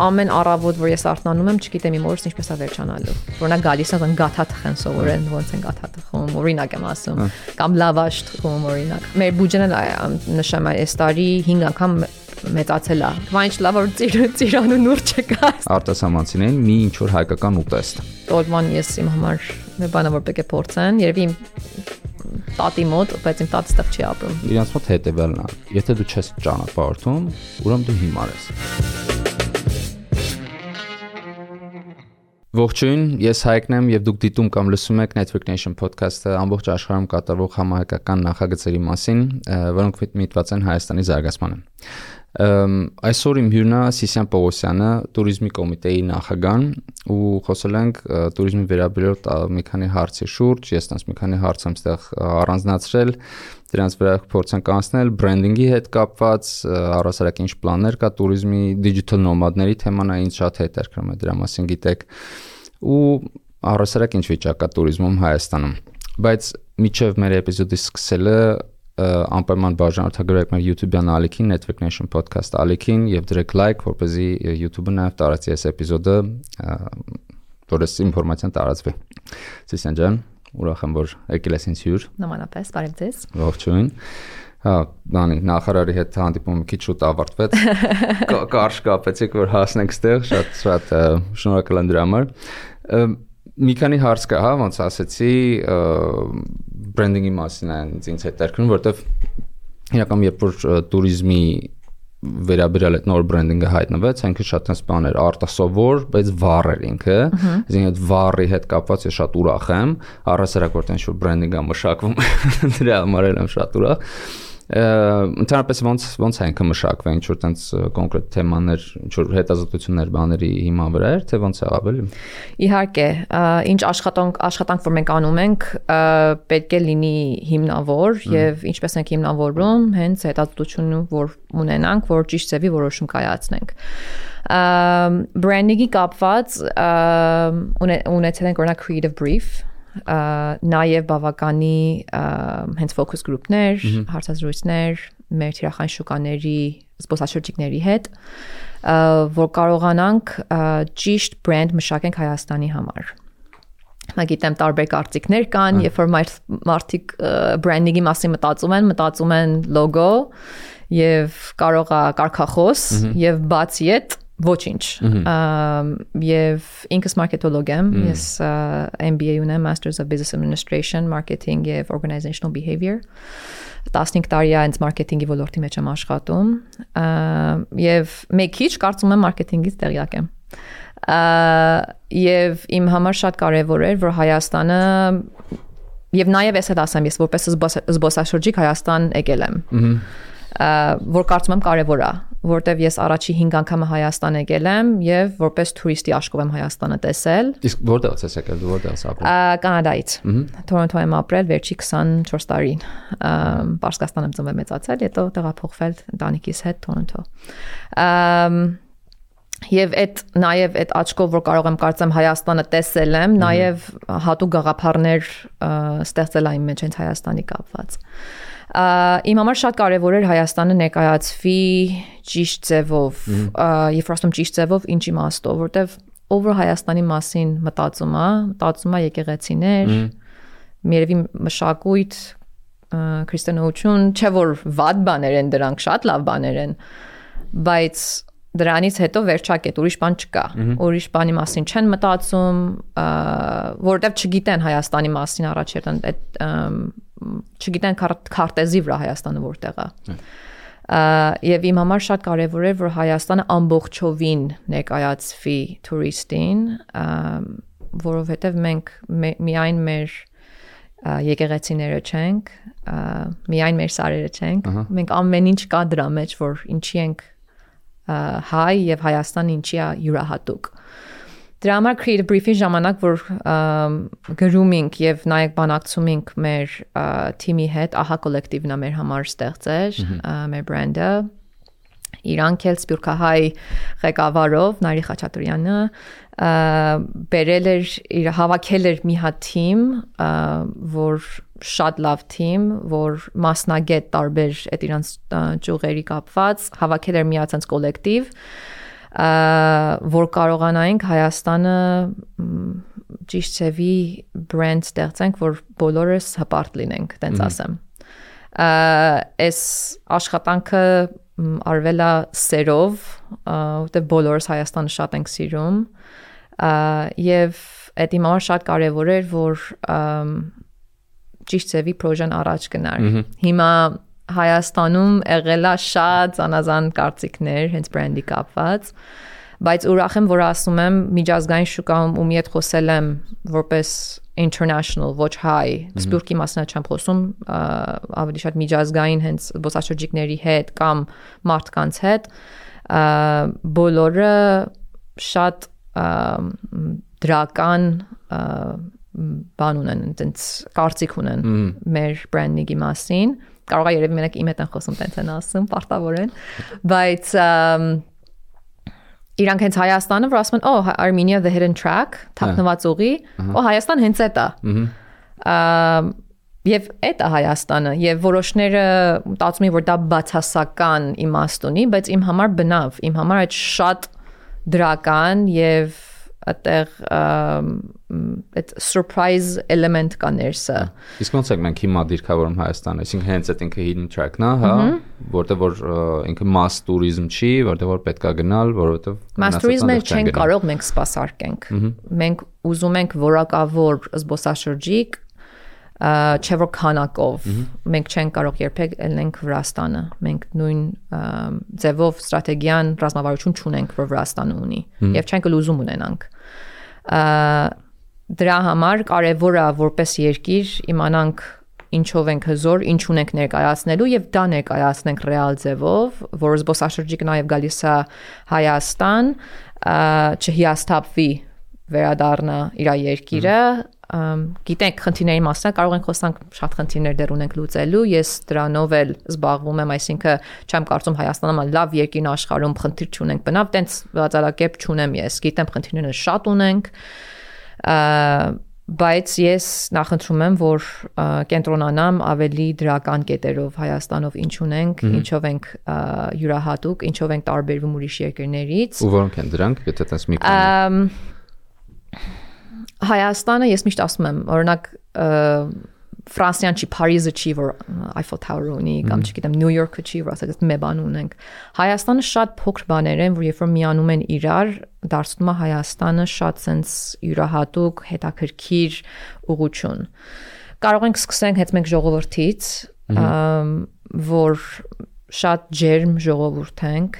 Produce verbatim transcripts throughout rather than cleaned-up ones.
ամեն առավոտ որ ես արթնանում եմ, չգիտեմ իմ օրս ինչպես է վերջանալու։ Որ նա գալիս է գաթա թխեն սովորեն, ոնց են գաթա թխում, օրինակ եմ ասում, կամ լավաշ թխում օրինակ։ Մեր բուջեն նշեմ այս տարի հինգ անգամ մեծացել է։ Վայնչ լավ որ ծիրան ու նուր չկա։ Արտասահմանցին մի ինչ որ հայկական ուտեստ։ Տոլման ես իմ համար մի բանը որ պետք է փորձեն, երևի իմ տատի մոտ, բայց իմ տատը ստեղ չի ապրում։ Իրանց մոտ հետևելն է։ Եթե դու չես ճանապարհորդում, ուրեմն դու հիմար ես։ Ողջույն, ես Հայկն եմ եւ դուք դիտում կամ լսում եք Network Nation podcast-ը ամբողջ աշխարհում կատարվող համահայկական նախագծերի մասին, որոնք միտված են Հայաստանի զարգացմանը։ Այսօր իմ հյուրն է Սիսիան Պողոսյանը, туриզմի կոմիտեի նախագահ ու խոսել ենք туриզմի վերաբերյալ մի քանի հարցի շուրջ, ես տես մի քանի հարց եմ ստեղ առանձնացրել, դրանց վրա փորձենք անցնել բրենդինգի հետ կապված, առհասարակ ինչ պլաններ կա туриզմի, digital nomad-ների թեման է ինձ շատ հետաքրքրում է, դրա մասին գիտեք ու առհասարակ ինչ վիճակ կա туриզմում Հայաստանում։ Բայց միջև մեր էպիզոդի սկսելը անպայման բաժանորդագրեք մեր YouTube-յան ալիքին Network Nation podcast ալիքին եւ դրեք like, որպեսզի YouTube-ը նաեւ տարածի այս էպիզոդը, որ այս ինֆորմացիան տարածվի։ Սիսիան ջան, ուրախ եմ որ եկել ես ինձ հյուր։ Նմանապես, բարև ձեզ։ Ողջույն։ Հա, Դանի, նախարարի հետ հանդիպումը քիչ շուտ ավարտվեց։ Կարճ կապեցիք որ հասնենք ստեղ, շատ շատ շնորհակալ եմ դրա համար։ Մի քանի հարց կա, հա, ոնց ասեցի, բրենդինգի մասին է ինձ հետաքրքրում, որովհետև իրականում երբ որ туриզմի վերաբերյալ այդ նոր բրենդինգը հայտնվեց, ինքը շատ այնպես բան էր արտասովոր, բայց վառ էր ինքը, այսինքն այդ վառի հետ կապված ես շատ ուրախ եմ, առհասարակ որ տենց որ բրենդինգը մշակվում, դրա համար եմ շատ ուրախ։ Ընդհանրապես ոնց ոնց է ինքը մշակվել, ինչ որ տենց կոնկրետ թեմաներ, ինչ որ հետազոտություններ բաների հիման վրա էր, թե ոնց է ավելի։ Իհարկե, ինչ աշխատանք աշխատանք որ մենք անում ենք, պետք է լինի հիմնավոր եւ ինչպես ենք հիմնավորում, հենց հետազոտությունը որ ունենանք, որ ճիշտ ձևի որոշում կայացնենք։ Բրենդինգի կապված ունեցել ենք օրինակ creative brief նաև բավականի հենց focus group-ներ, հարցազրույցներ մեր թիրախային շուկաների, զբոսաշրջիկների հետ, որ կարողանանք ճիշտ brand մշակենք Հայաստանի համար։ Գիտեմ տարբեր կարծիքներ կան, երբ որ մարդիկ branding-ի մասին մտածում են, մտածում են logo եւ կարող է կարգախոս եւ բացի այդ ոչինչ եւ ինքս մարքետոլոգ եմ, ես M B A ունեմ, Masters of Business Administration, Marketing եւ Organizational Behavior։ տասնհինգ տարի է ինձ մարքեթինգի ոլորտի մեջ եմ աշխատում եւ մեկ քիչ կարծում եմ մարքեթինգից տեղյակ եմ։ Եվ իմ համար շատ կարեւոր էր, որ Հայաստանը եւ նաեւ ես հետ ասեմ, ես որպես զբոսաշրջիկ Հայաստան եկել եմ։ Որ կարծում եմ կարևոր է, որտեվ ես առաջի հինգ անգամը Հայաստան եկել եմ եւ որպես տուրիստի աշխով եմ Հայաստանը տեսել։ Իսկ որտեղից ես եկել, դու որտեղ ես ապրել։ Կանադայից։ Թորոնտո եմ ապրել վերջի քսանչորս տարին։ Պարսկաստան եմ ծնվել մեծացել, հետո տեղափոխվել ընտանիքիս հետ Թորոնտո։ Եվ այդ նաև այդ աչքով որ կարող եմ կարծեմ Հայաստանը տեսել եմ, նաև հատուկ գաղափարներ ստեղծել այն մեջ հենց Հայաստանի կապված։ Իմ համար շատ կարևոր էր Հայաստանը ներկայացվի ճիշտ ձևով, երբ ասում ճիշտ ձևով ինչ իմաստով, որտեվ ով որ Հայաստանի մասին մտածում է, մտածում է եկեղեցիներ, երևի մշակույթ, քրիստոնեություն, չէ որ վատ բաներ են դրանք, շատ լավ բաներ են, բայց դրանից հետո վերջակետ ուրիշ բան չկա, ուրիշ բանի մասին չեն մտածում, որովհետև չգիտեն Հայաստանի մասին առաջերտ այդ չգիտեն քարտեզի վրա Հայաստանը որտեղ է։ Եվ իմ համար շատ կարևոր էր, որ Հայաստանը ամբողջովին ներկայացվի տուրիստին, որովհետև մենք միայն մեր եկեղեցիները չենք, միայն մեր սարերը չենք, մենք ամեն ինչ կա դրա մեջ, որ ինչի ենք հայ եւ Հայաստանը ինչի է յուրահատուկ։ Դրա համար creative brief-ի ժամանակ որ գրում ենք եւ նաեւ բանակցում ենք մեր թիմի հետ, ահա կոլեկտիվն է մեր համար ստեղծել, մեր բրենդը, իրանք էլ սփյուռքահայ ղեկավարով Նարի Խաչատրյանը բերել էր իր հավաքել էր մի հատ թիմ, որ շատ լավ թիմ, որ մասնագետ տարբեր այդ իրանց ճյուղերի կապված, հավաքել էր մի հատ կոլեկտիվ, որ կարողանայինք Հայաստանը ճիշտ ծավի brand ստեղծենք, որ բոլորս հպարտ լինենք, տենց ասեմ։ Այս աշխատանքը արվել է սերով, որտեղ բոլորս Հայաստանը շատ ենք սիրում, եւ այդ իմ համար շատ կարևոր էր, որ ճիշտ ծավի պրոժեն առաջ գնար։ Հիմա Հայաստանում եղել է շատ զանազան կարծիքներ, հենց բրենդի կապված, բայց ուրախ եմ, որ ասում եմ միջազգային շուկայում ումի հետ խոսել եմ որպես international, ոչ հայ, Սփյուռքի մասնա չեմ խոսում, ավելի շատ միջազգային հենց զբոսաշրջիկների հետ կամ մարդկանց հետ, բոլորը շատ դրական բան ունեն, այնտենց կարծիք ունեն մեր բրենդինգի մասին։ Կարող է երևի մենակ իմ հետ են խոսում, տենց են ասում, պարտավոր են, բայց իրանք հենց Հայաստանը, որ ասում են, «Oh, Armenia the hidden track», թաքնված ուղի, «Oh, Հայաստան հենց էդ է»։ Եվ էդ է Հայաստանը, եւ որոշները մտածում են, որ դա բացասական իմաստ ունի, բայց իմ համար բնավ, իմ համար այդ շատ դրական եւ այդտեղ այդ surprise element կա ներսը։ Իսկ ոնց եք մենք հիմա դիրքավորում Հայաստանը, այսինքն հենց այդ ինքը hidden track-ն է, հա, որտեղ որ ինքը mass tourism չի, որտեղ որ պետք է գնալ, որովհետեւ mass tourism-ը չեն կարող մենք սպասարկենք։ Մենք ուզում ենք որակավոր զբոսաշրջիկ, չէ որ քանակով, մենք չենք կարող երբեք ելնենք Վրաստանը, մենք նույն ձևով ստրատեգիան ռազմավարություն չունենք, որ Վրաստանը ունի, եւ չենք էլ ուզում ունենանք։ Դրա համար կարևոր է որպես երկիր իմանանք ինչով ենք հզոր, ինչ ունենք ներկայացնելու եւ դա ներկայացնենք ռեալ ձևով, որ զբոսաշրջիկը նաեւ գալիս է Հայաստան, չհիասթափվի վերադառնա իր երկիրը, գիտենք խնդիրների մասը կարող ենք խոսանք շատ խնդիրներ դեռ ունենք լուծելու, ես դրանով էլ զբաղվում եմ, այսինքն չեմ կարծում Հայաստանը լավ երկիրն աշխարհում խնդիր չունենք, բնավ տենց բացառակերպ չունեմ ես, գիտեմ խնդիրները շատ ունենք, բայց ես նախընտրում եմ, որ կենտրոնանամ ավելի դրական կետերով Հայաստանով ինչ ունենք, ինչով ենք յուրահատուկ, ինչով ենք տարբերվում ուրիշ երկրներից։ Ու որոնք են դրանք, եթե տես մի բան։ Հայաստանը ես միշտ ասում եմ, օրինակ Ֆրանսիան չի, Փարիզը չի, որ Eiffel Tower ունի, կամ չգիտեմ Նյու Յորքը չի, որ ասած մի բան ունենք։ Հայաստանը շատ փոքր բաներ են, որ երբ որ միանում են իրար, դարձնում է Հայաստանը շատ sense յուրահատուկ, հետաքրքիր ուղղություն։ Կարող ենք սկսենք հենց մենք ժողովրդից, որ շատ ջերմ ժողովուրդ ենք,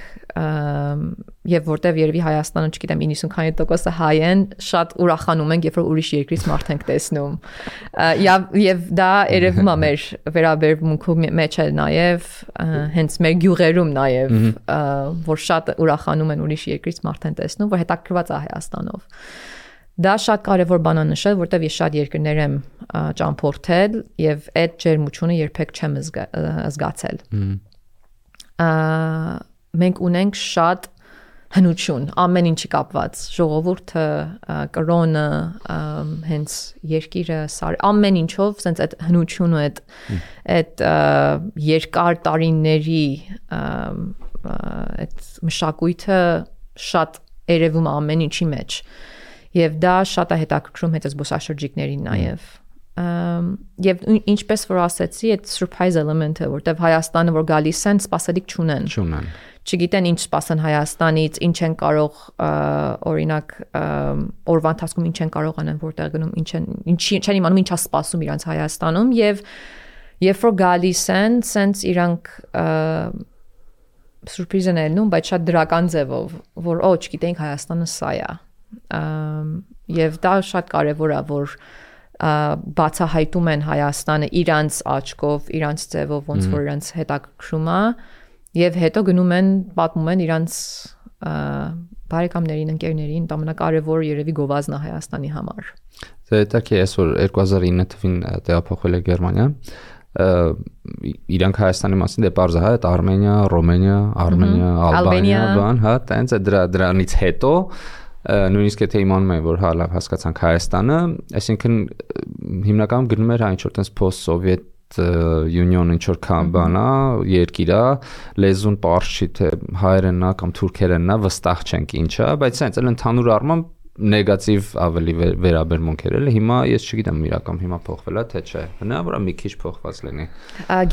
եւ որտեվ երևի Հայաստանը, չգիտեմ, իննսուն քանի տոկոսը հայ են, շատ ուրախանում ենք, երբ որ ուրիշ երկրից մարդ ենք տեսնում։ Եվ եւ դա երևում է մեր վերաբերմունքի մեջ է նաեւ, հենց մեր գյուղերում նաեւ, որ շատ ուրախանում են ուրիշ երկրից մարդ են տեսնում, որ հետաքրքրված է Հայաստանով։ Դա շատ կարևոր բան է նշել, որտեվ ես շատ երկրներ եմ ճամփորդել եւ այդ ջերմությունը երբեք չեմ զգացել։ Մենք ունենք շատ հնություն, ամեն ինչի կապված, ժողովուրդը, կրոնը, հենց երկիրը, ամեն ինչով, սենց այդ հնությունը, այդ երկար տարիների այդ մշակույթը շատ երևում է ամեն ինչի մեջ, եւ դա շատ է հետաքրքրում հետ զբոսաշրջիկներին նաեւ։ Եվ ինչպես որ ասեցի, այդ surprise element-ը, որտեվ Հայաստանը որ գալիս են, սպասելիք չունեն։ Չունեն։ Չգիտեն ինչ սպասեն Հայաստանից, ինչ են կարող, օրինակ, օրվա ընթացքում ինչ են կարող անեն, որտեղ գնում, ինչ են, ինչի չեն իմանում ինչա սպասում իրանց Հայաստանում, եւ երբ որ գալիս են, սենց իրանք surprise են ելնում, բայց շատ դրական ձևով, որ օ, չգիտենք Հայաստանը սա է։ Եվ դա շատ կարևոր է, որ բացահայտում են Հայաստանը իրանց աչքով, իրանց ձևով, ոնց որ իրանց հետաքրքրում է, եւ հետո գնում են, պատմում են իրանց բարեկամներին, ընկերներին, ամենակարևոր երևի գովազդն է Հայաստանի համար։ Դե դա է այսօր երկու հազար ինը թվին տեղափոխվել է Գերմանիա, իրանք Հայաստանի մասին դե պարզ է, այդ Արմենիա, Ռոմենիա, Արմենիա, Ալբանիա, բան, հա, տենց է դրանից հետո նույնիսկ եթե իմանում են, որ հա լավ հասկացանք Հայաստանը, այսինքն հիմնականում գնում էր այն ինչ որ տենց post-Soviet union ինչ որ կան բանա, երկիրա, լեզուն པարզ չի թե հայերենն է կամ թուրքերենն է, վստահ չենք ինչա, բայց այնց էլ ընդհանուր առմամբ նեգատիվ ավելի վերաբերմունք էր էլի, հիմա ես չգիտեմ իրական հիմա փոխվել է թե չէ, հնարավոր է մի քիչ փոխված լինի։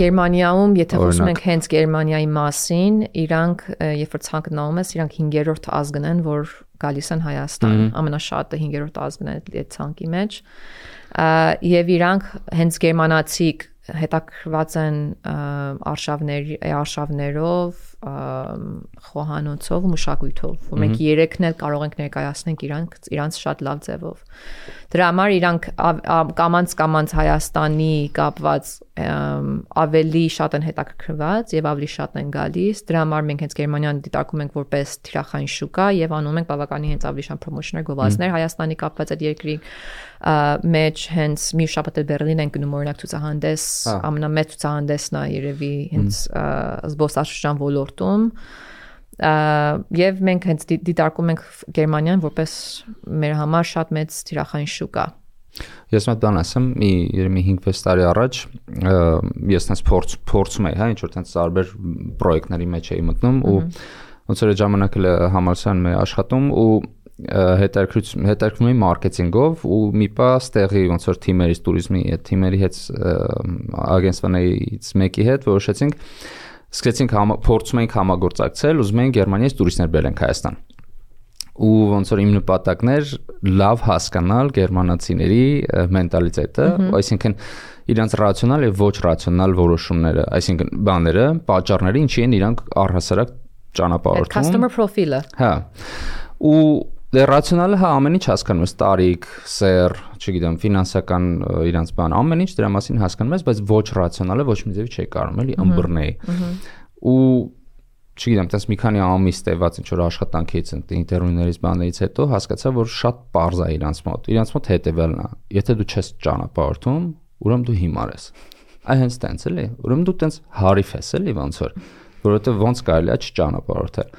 Գերմանիայում, եթե խոսում ենք հենց Գերմանիայի մասին, իրանք երբ որ ցանկանում ես, իրանք հինգերորդ ազգն են, որ գալիս են Հայաստան, ամենաշատը հինգերորդ ազգն է այդ ցանկի մեջ, եւ իրանք հենց գերմանացիք հետաքրված են արշավների արշավներով, խոհանոցով, մշակույթով, որ մենք երեքն էլ կարող ենք ներկայացնել իրանք իրանց շատ լավ ձևով։ Դրա համար իրանք կամանց կամանց Հայաստանի կապված ավելի շատ են հետաքրքրված եւ ավելի շատ են գալիս։ Դրա համար մենք հենց Գերմանիան դիտարկում ենք որպես թիրախային շուկա եւ անում ենք բավականին հենց ավելի շատ պրոմոշներ, գովազդներ Հայաստանի կապված այդ երկրի մեջ հենց մի շաբաթ Բերլին են գնում օրինակ ցուցահանդես, ամենամեծ ցուցահանդեսն է երևի հենց զբոսաշրջան ոլորտում եւ մենք հենց դիտարկում ենք Գերմանիան որպես մեր համար շատ մեծ թիրախային շուկա։ Ես մոտ բան ասեմ, մի երեմի հինգ-վեց տարի առաջ ես տենց փորձ փորձում էի, հա, ինչ որ տենց տարբեր պրոյեկտների մեջ էի մտնում ու ոնց որ ժամանակ էլ համալսարանում էի աշխատում ու հետաքրքրում էի մարքեթինգով ու մի պա ստեղի ոնց որ թիմերից տուրիզմի այդ թիմերի հետ ագենստվանից մեկի հետ որոշեցինք սկսեցինք փորձում էինք համագործակցել, ուզում էինք Գերմանիայից տուրիստներ բերենք Հայաստան։ Ու ոնց որ իմ նպատակն էր լավ հասկանալ գերմանացիների մենտալիտետը, այսինքն իրանց ռացիոնալ եւ ոչ ռացիոնալ որոշումները, այսինքն բաները, պատճառները, ինչի են իրանք առհասարակ ճանապարհորդում։ Customer profile-ը։ Հա։ Ու դե ռացիոնալը հա ամեն ինչ հասկանում ես, տարիք, սեր, չգիտեմ, ֆինանսական իրանց բան, ամեն ինչ դրա մասին հասկանում ես, բայց ոչ ռացիոնալը ոչ մի ձևի չի կարող էլի ըմբռնել։ Ու չգիտեմ, տես մի քանի ամիս տևած ինչ որ աշխատանքից, ինտերվյուներից, բաներից հետո հասկացա, որ շատ པարզ է իրանց մոտ։ Իրանց մոտ հետևելն է։ Եթե դու չես ճանապարհորդում, ուրեմն դու հիմար ես։ Այ հենց տենց էլի, ուրեմն դու տենց հարիվ ես էլի ոնց որ, որովհետև ոնց կարելի է չճանապարհորդել։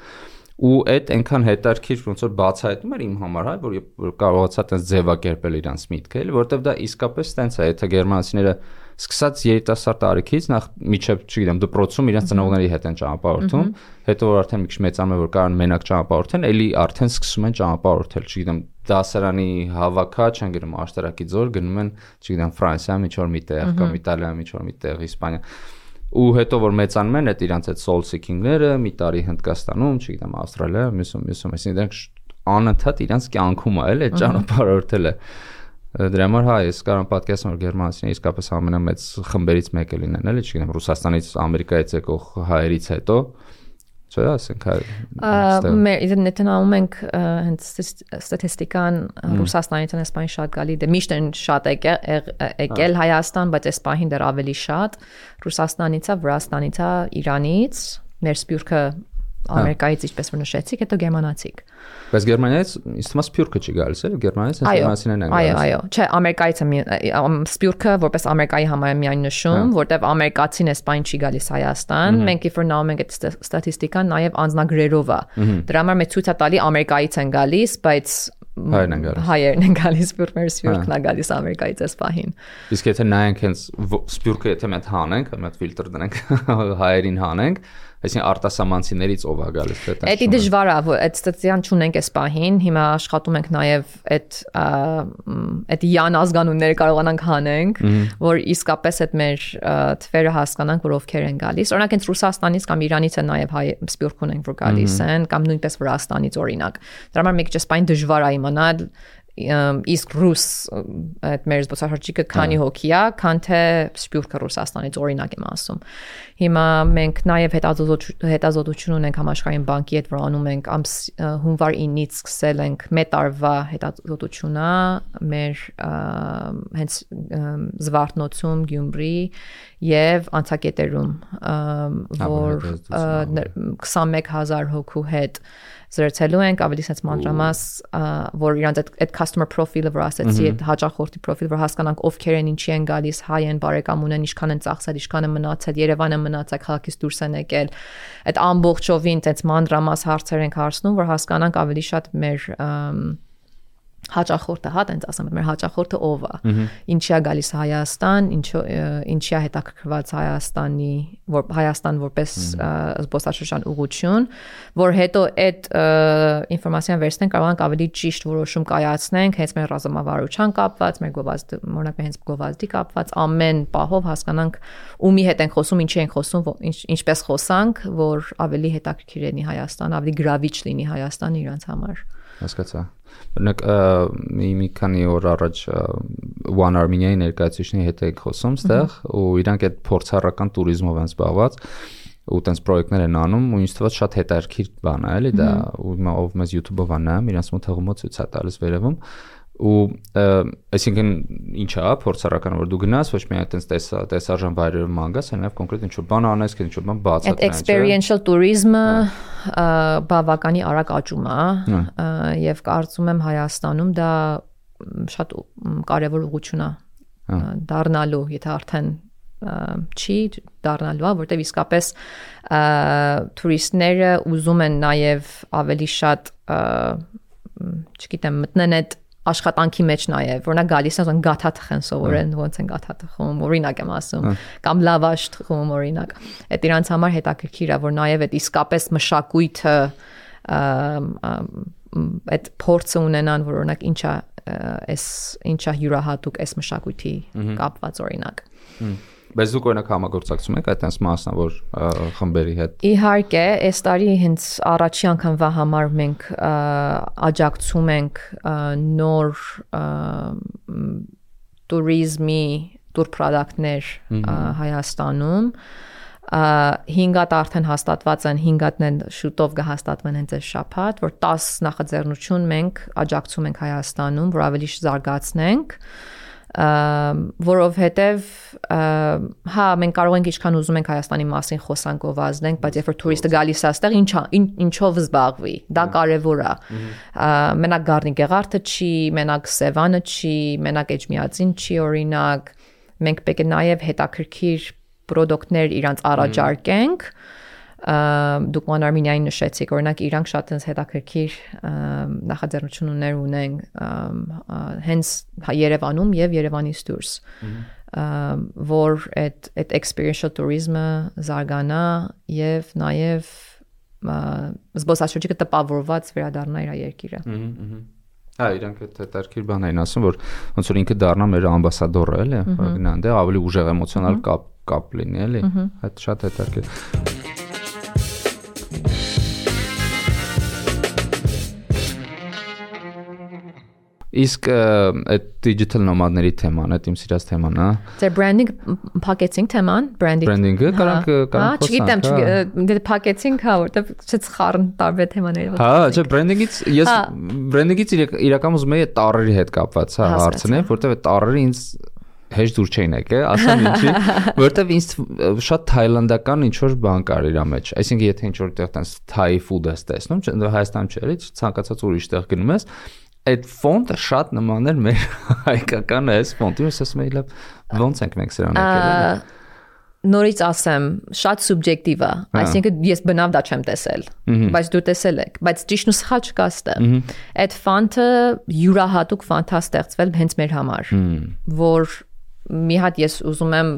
Ու այդ այնքան հետաքրքիր ոնց որ բացահայտում էր իմ համար, հա, որ կարողացա տենց ձևակերպել իրանց միտքը, էլի, որովհետև դա իսկապես տենց է, եթե գերմանացիները սկսած երիտասարդ տարիքից նախ միջև, չգիտեմ, դպրոցում իրենց ծնողների հետ են ճանապարհորդում, հետո որ արդեն մի քիչ մեծանում է, որ կարող են մենակ ճանապարհորդեն, էլի արդեն սկսում են ճանապարհորդել, չգիտեմ, դասարանի հավաքա չեն գնում աշտարակի ձոր, գնում են, չգիտեմ, Ֆրանսիա, ինչ որ միտեղ կամ Իտալիա, ինչ որ միտեղ, Իսպանիա։ Ու հետո որ մեծանում են այդ իրանց այդ soul seeking-ները, մի տարի Հնդկաստանում, չգիտեմ, Ավստրալիա, մյուսում, մյուսում, այսինքն դրանք անընդհատ իրանց կյանքում է, էլ այդ ճանապարհորդելը։ Դրա համար հա ես կարող եմ պատկերացնել որ գերմանացիները իսկապես ամենամեծ խմբերից մեկը լինեն, էլի, չգիտեմ, Ռուսաստանից, Ամերիկայից եկող հայերից հետո, չէ՞, ասենք հայ։ Մեր ինտերնետում ենք հենց ստատիստիկան Ռուսաստանից են Իսպանիա շատ գալի, դե միշտ են շատ եկել Հայաստան, բայց այս պահին դեռ ավելի շատ Ռուսաստանից, Վրաստանից, Իրանից, մեր սփյուռքը Ամերիկայից ինչպես որ նշեցիք, հետո գերմանացիք։ Բայց Գերմանիայից ինձ թվում է սփյուռքը չի գալիս, էլի, Գերմանիայից գերմանացիներն են գալիս։ Այո, այո, չէ, Ամերիկայից սփյուռքը որպես Ամերիկայի համար միայն նշում, որտեվ ամերիկացին Իսպանիա չի գալիս Հայաստան, մենք if նայում ենք այդ ստատիստիկան, նաև անձնագրերով է։ Դրա համար մեծ ցույց է տալի Ամերիկայից են գալիս, բայց հայերն են գալիս։ Հայերն են գալիս, մեր սփյուռքն է գալիս Ամերիկայից այս պահին։ Իսկ եթե նայենք հենց սփյուռքը եթե մենք հանենք, մենք ֆիլտր դնենք, հայերին հանենք, այսինքն արտասահմանցիներից ով է գալիս դա։ Դա դժվար է, որ այդ ստատիստիկան չունենք այս պահին, հիմա աշխատում ենք նաև այդ այդ յան ազգանունները կարողանանք հանենք, որ իսկապես այդ մեր թվերը հասկանանք, որ ովքեր են գալիս։ Օրինակ հենց Ռուսաստանից կամ Իրանից են նաև հայ սփյուռք ունենք, որ գալիս են, կամ նույնպես Վրաստանից օրինակ։ Դրա համար մեկ ճիշտ այս դժվար է իմանալ իսկ ռուս այդ մեր զբոսաշրջիկը քանի հոգի է, քան թե սփյուռքը Ռուսաստանից օրինակ եմ ասում։ Հիմա մենք նաև հետազոտություն ունենք համաշխարհային բանկի հետ, որ անում ենք հունվար ինից սկսել ենք մեկ տարվա հետազոտությունը մեր հենց Զվարթնոցում, Գյումրի եւ անցակետերում, որ քսանմեկ հազար հոգու հետ զրուցելու ենք ավելի sense մանրամաս, որ իրանց այդ customer profile-ը որ ասեցի, այդ հաճախորդի profile, որ հասկանանք ովքեր են, ինչի են գալիս, հայ են, բարեկամ ունեն, ինչքան են ծախսել, ինչքան են մնացել, Երևանը մնացել, քաղաքից դուրս են եկել։ Այդ ամբողջովին այդ մանրամաս հարցեր ենք հարցնում, որ հասկանանք ավելի շատ մեր հաճախորդը, հա, տենց ասեմ, մեր հաճախորդը ով է, ինչի է գալիս Հայաստան, ինչի է հետաքրքրված Հայաստանի, որ Հայաստան որպես զբոսաշրջան ուղղություն, որ հետո այդ ինֆորմացիան վերցնենք, կարող ենք ավելի ճիշտ որոշում կայացնենք, հենց մեր ռազմավարության կապված, մեր գովազդի, օրինակ հենց գովազդի կապված, ամեն պահով հասկանանք ումի հետ ենք խոսում, ինչի ենք խոսում, ինչպես խոսանք, որ ավելի հետաքրքիր լինի Հայաստան, ավելի գրավիչ լինի Հայաստանը իրանց համար։ Հասկացա։ Օրինակ մի մի քանի օր առաջ One Armenia-ի ներկայացուցիչների հետ եք խոսում ստեղ ու իրանք այդ փորձառական туриզմով են զբաղված ու տենց պրոյեկտներ են անում ու ինձ թվաց շատ հետաքրքիր բան է, էլի դա ու ով մեզ YouTube-ով անամ, իրանց մոտ հղումով ցույց է տալիս վերևում ու այսինքն ինչ է փորձառական որ դու գնաս ոչ միայն այդպես տեսա տեսարժան վայրերում մանգաս, այլև կոնկրետ ինչ-որ բան անես, ինչ-որ բան բացատրես։ Այդ experiential tourism-ը բավականի արագ աճում է եւ կարծում եմ Հայաստանում դա շատ կարեւոր ուղղություն է դառնալու, եթե արդեն չի դառնալու, որտեղ իսկապես տուրիստները ուզում են նաեւ ավելի շատ չգիտեմ մտնեն այդ աշխատանքի մեջ նաև, որոնք գալիս են գաթա թխեն սովորեն, ոնց են գաթա թխում, օրինակ եմ ասում, կամ լավաշ թխում, օրինակ։ Այդ իրանց համար հետաքրքիր է, որ նաև այդ իսկապես մշակույթը այդ փորձը ունենան, որ օրինակ ինչա էս ինչա յուրահատուկ էս մշակույթի կապված օրինակ։ Բայց դուք օրինակ համագործակցում եք այդպես մասնավոր խմբերի հետ։ Իհարկե, այս տարի հենց առաջի անգամվա համար մենք աջակցում ենք նոր туриզմի տուր պրոդուկտներ Հայաստանում։ հինգ հատ արդեն հաստատված են, հինգ հատն են շուտով կհաստատվեն հենց այս շաբաթ, որ տաս նախաձեռնություն մենք աջակցում ենք Հայաստանում, որ ավելի զարգացնենք որովհետև հա մենք կարող ենք ինչքան ուզում ենք Հայաստանի մասին խոսանք գովազդենք, բայց երբ որ տուրիստը գալիս է այստեղ ինչա ինչով զբաղվի, դա կարևոր է։ Մենակ Գառնի Գեղարդը չի, մենակ Սևանը չի, մենակ Էջմիածին չի օրինակ, մենք պետք է նաև հետաքրքիր պրոդուկտներ իրանց առաջարկենք դուք One Armenia-ին նշեցիք, օրինակ իրանք շատ հետաքրքիր նախաձեռնություններ ունեն հենց Երևանում եւ Երևանից դուրս, որ այդ այդ experiential tourism-ը զարգանա եւ նաեւ զբոսաշրջիկը տպավորված վերադառնա իր երկիրը։ Հա, իրանք այդ հետաքրքիր բան էին ասում, որ ոնց որ ինքը դառնա մեր ամբասադորը, էլի, գնան դե ավելի ուժեղ էմոցիոնալ կապ կապ լինի, էլի։ Այդ շատ հետաքրքիր։ Իսկ այդ digital nomad-ների թեման, այդ իմ սիրած թեման, հա։ Դե branding փակեցինք թեման, branding։ Branding-ը կարանք կարանք խոսանք։ Հա, չգիտեմ, դե փակեցինք, հա, որտեվ չծխարն տարբեր թեմաների։ Հա, չէ, branding-ից ես branding-ից իրական ուզում եի տառերի հետ կապված, հա, հարցնել, որտեվ այդ տառերը ինձ հեշտ դուր չէին եկել, ասեմ ինչի, որտեվ ինձ շատ թայլանդական ինչ որ բան կար իր մեջ։ Այսինքն եթե ինչ որ տեղ տես թայ ֆուդ ես տեսնում, Հայաստանում չէ, էլի ցանկացած ուրիշ տեղ գնում ես, այդ ֆոնտը շատ նման էր մեր հայկական այս ֆոնտին, ես ասում եի լավ, ոնց ենք մենք սրանք եկել։ Նորից ասեմ, շատ սուբյեկտիվ է, այսինքն ես բնավ դա չեմ տեսել, բայց դու տեսել եք, բայց ճիշտ ու սխալ չկա ստեղ։ Այդ ֆոնտը յուրահատուկ ֆոնտ է ստեղծվել հենց մեր համար, որ մի հատ ես ուզում եմ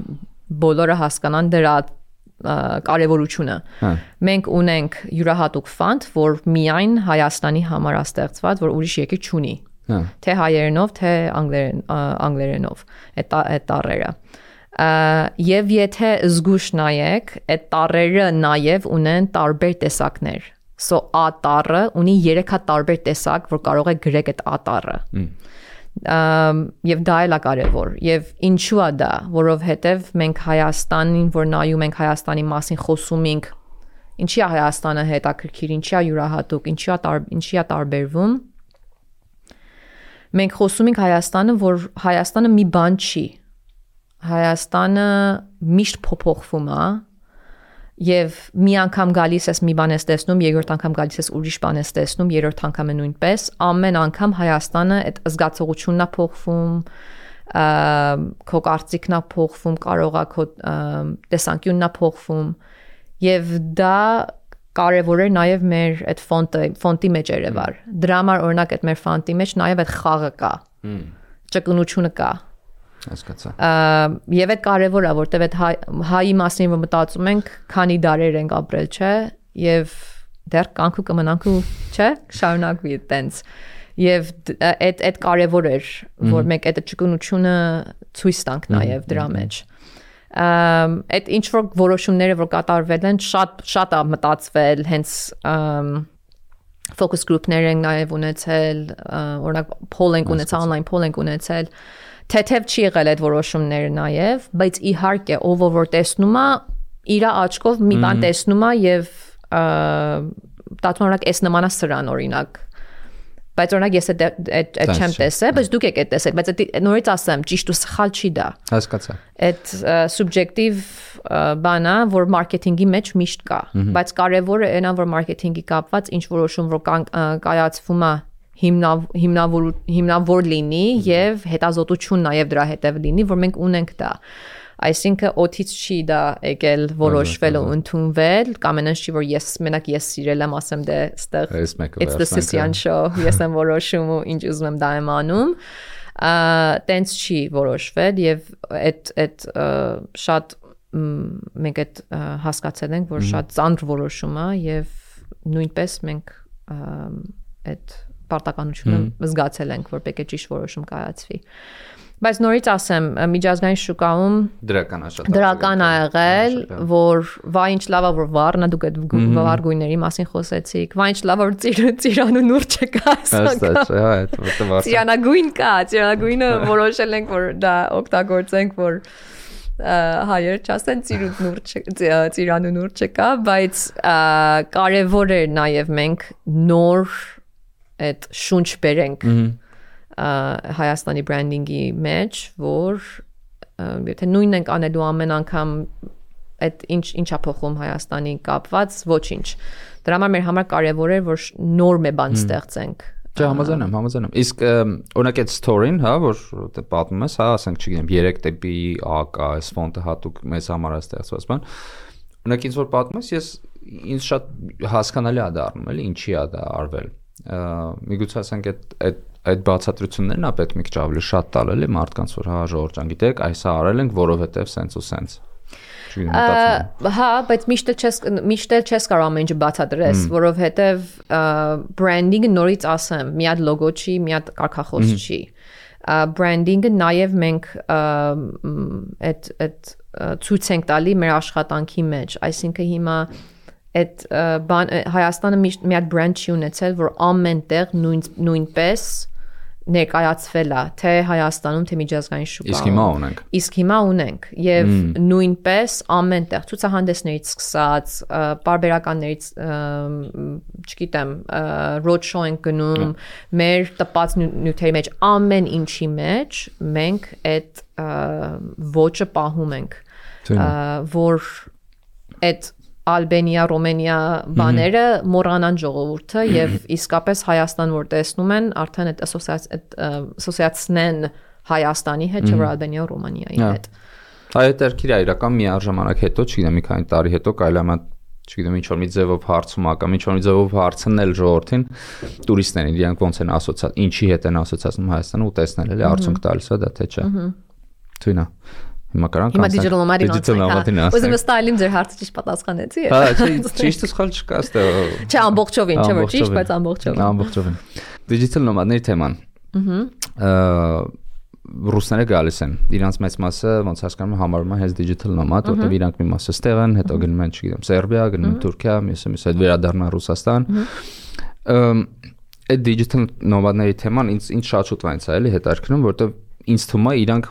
բոլորը հասկանան դրա կարևորությունը։ Մենք ունենք յուրահատուկ ֆոնտ, որ միայն Հայաստանի համար է ստեղծված, որ ուրիշ երկիր չունի։ Թե հայերենով, թե անգլերենով այդ այդ տառերը։ Եվ եթե զգուշ նայեք, այդ տառերը նաև ունեն տարբեր տեսակներ։ So A տառը ունի երեք հատ տարբեր տեսակ, որ կարող է գրեք այդ A տառը։ Եվ դա էլ է կարևոր եւ ինչու է դա, որովհետեւ մենք Հայաստանին, որ նայում ենք Հայաստանի մասին խոսում ենք, ինչի է Հայաստանը հետաքրքիր, ինչի է յուրահատուկ, ինչի է ինչի է տարբերվում, մենք խոսում ենք Հայաստանը, որ Հայաստանը մի բան չի, Հայաստանը միշտ փոփոխվում է եւ մի անգամ գալիս ես մի բան ես տեսնում, երկրորդ անգամ գալիս ես ուրիշ բան ես տեսնում, երրորդ անգամը նույնպես, ամեն անգամ Հայաստանը այդ զգացողությունն է փոխվում, քո կարծիքն է փոխվում, կարող է քո տեսանկյունն է փոխվում եւ դա կարևոր էր նաև մեր այդ ֆոնտը, ֆոնտի մեջ երևար։ Դրա համար օրինակ այդ մեր ֆոնտի մեջ նաև այդ խաղը կա։ Ճկունությունը կա։ Հասկացա։ Եվ այդ կարևոր է, որտեվ այդ հայի մասին որ մտածում ենք, քանի դարեր ենք ապրել, չէ, եւ դեռ կանքու կմնանքու, չէ, շարունակվի այդտենց։ Եվ այդ այդ կարևոր էր, որ մենք այդ ճկունությունը ցույց տանք նաև դրա մեջ։ Այդ ինչ որ որոշումները որ կատարվել են, շատ շատ է մտածվել, հենց focus group-ներ են նաև ունեցել, օրինակ poll ենք ունեցել, online poll ենք ունեցել։ Թեթև չի եղել այդ որոշումները նաև, բայց իհարկե ով որ տեսնում է իր աչքով մի բան տեսնում է եւ դատորակ էս նմանա սրան օրինակ, բայց օրինակ ես այդ այդ չեմ տեսել, բայց դուք եք այդ տեսել, բայց նորից ասեմ, ճիշտ ու սխալ չի դա։ Հասկացա։ Այդ սուբյեկտիվ բանա, որ մարքեթինգի մեջ միշտ կա, բայց կարևորը այնա որ մարքեթինգի կապված ինչ որոշում որ կայացվում է հիմնավոր հիմնավոր լինի եւ հետազոտություն նաեւ դրա հետեւ լինի, որ մենք ունենք դա։ Այսինքն օթից չի դա եկել որոշվել ու ընդունվել, կամ այնպես չի որ ես մենակ ես սիրել եմ, ասեմ դե ստեղ it's the Sicilian show, ես եմ որոշում ու ինչ ուզում եմ դա եմ անում։ Տենց չի որոշվել եւ այդ այդ շատ մենք այդ հասկացել ենք, որ շատ ծանր որոշում է եւ նույնպես մենք այդ պարտականությունը զգացել ենք, որ պետք է ճիշտ որոշում կայացվի։ Բայց նորից ասեմ, միջազգային շուկայում դրական աշխատանք դրական ա եղել, որ վայ ինչ լավ է որ վառնա, դուք այդ վառ գույների մասին խոսեցիք, վայ ինչ լավ է որ ծիրանու նուրջ չկա, ծիրանագույն կա, ծիրանագույնը որոշել ենք, որ դա օգտագործենք, որ հայեր չասեն ծիրանու նուրջ չկա, բայց կարևոր էր նաև մենք նոր այդ շունչ բերենք Հայաստանի բրենդինգի մեջ, որ եթե նույնն ենք անելու ամեն անգամ այդ ինչ ինչա փոխում Հայաստանի կապված, ոչինչ։ Դրա համար մեր համար կարևոր է, որ նոր մի բան ստեղծենք։ Չէ, համաձայն եմ, համաձայն եմ։ Իսկ օրինակ այդ story-ն, հա, որ դե պատմում ես, հա, ասենք, չգիտեմ, երեք դեպի A կա, այս ֆոնտը հատուկ մեզ համար է ստեղծված բան։ Օրինակ ինձ որ պատմում ես, ես ինձ շատ հասկանալի է դառնում, էլի, ինչի է դա արվել։ Միգուցե ասենք այդ այդ այդ բացատրություններն է պետք մի քիչ ավելի շատ տալ էլի մարդկանց որ հա ժողովուրդ ջան գիտեք այս արել ենք որովհետև սենց ու սենց հա բայց միշտ չես միշտ չես կարող ամեն ինչ բացատրես որովհետև բրենդինգը նորից ասեմ մի հատ լոգո չի մի հատ կարգախոս չի բրենդինգը նաև մենք այդ այդ ցույց ենք տալի մեր աշխատանքի մեջ այսինքն հիմա այդ բան Հայաստանը միշտ մի հատ բրենդ չի ունեցել, որ ամեն տեղ նույն նույնպես ներկայացվել է, թե Հայաստանում, թե միջազգային շուկայում։ Իսկ հիմա ունենք։ Իսկ հիմա ունենք եւ նույնպես ամեն տեղ ցուցահանդեսներից սկսած, պարբերականներից, չգիտեմ, road show ենք գնում, մեր տպած նյութերի մեջ, ամեն ինչի մեջ մենք այդ ոճը պահում ենք, որ այդ Ալբանիա, Ռոմենիա բաները մոռանան ժողովուրդը եւ իսկապես Հայաստան որ տեսնում են, արդեն այդ ասոցիացնեն Հայաստանի հետ, չէ՞ որ Ալբանիա, Ռոմանիայի հետ։ Այդ երկիրը իրական մի արժանանակ հետո, չգիտեմ, մի քանի տարի հետո կարելի է, չգիտեմ, ինչ որ մի ձևով հարցում ա կամ ինչ որ մի ձևով հարցնել ժողովրդին, տուրիստներին, իրանք ոնց են ասոցիացած, ինչի հետ են ասոցիացնում Հայաստանը ու տեսնել էլի արդյունք տալիս է դա թե չէ։ Թույնա։ Հիմա կարանք անցնենք digital nomad-ին անցնենք։ Ուզում եմ ստայլին ձեր հարցը ճիշտ պատասխանեցի։ Հա, ճիշտ սխալ չկա այստեղ։ Չէ, ամբողջովին, չէ՞ որ ճիշտ, բայց ամբողջովին։ Ամբողջովին։ Digital nomad-ների թեման։ Ահա ռուսները գալիս են։ Իրանց մեծ մասը ոնց հասկանում եմ համարում են հենց digital nomad, որտեղ իրանք մի մասը ստեղ են, հետո գնում են, չգիտեմ, Սերբիա, գնում են Թուրքիա, մյուսը մյուսը հետ վերադառնան Ռուսաստան։ Այդ digital nomad-ների թեման ինձ ինձ շատ շուտ վայնց է էլի հետաքրքրում, որտեղ ինձ թվում է իրանք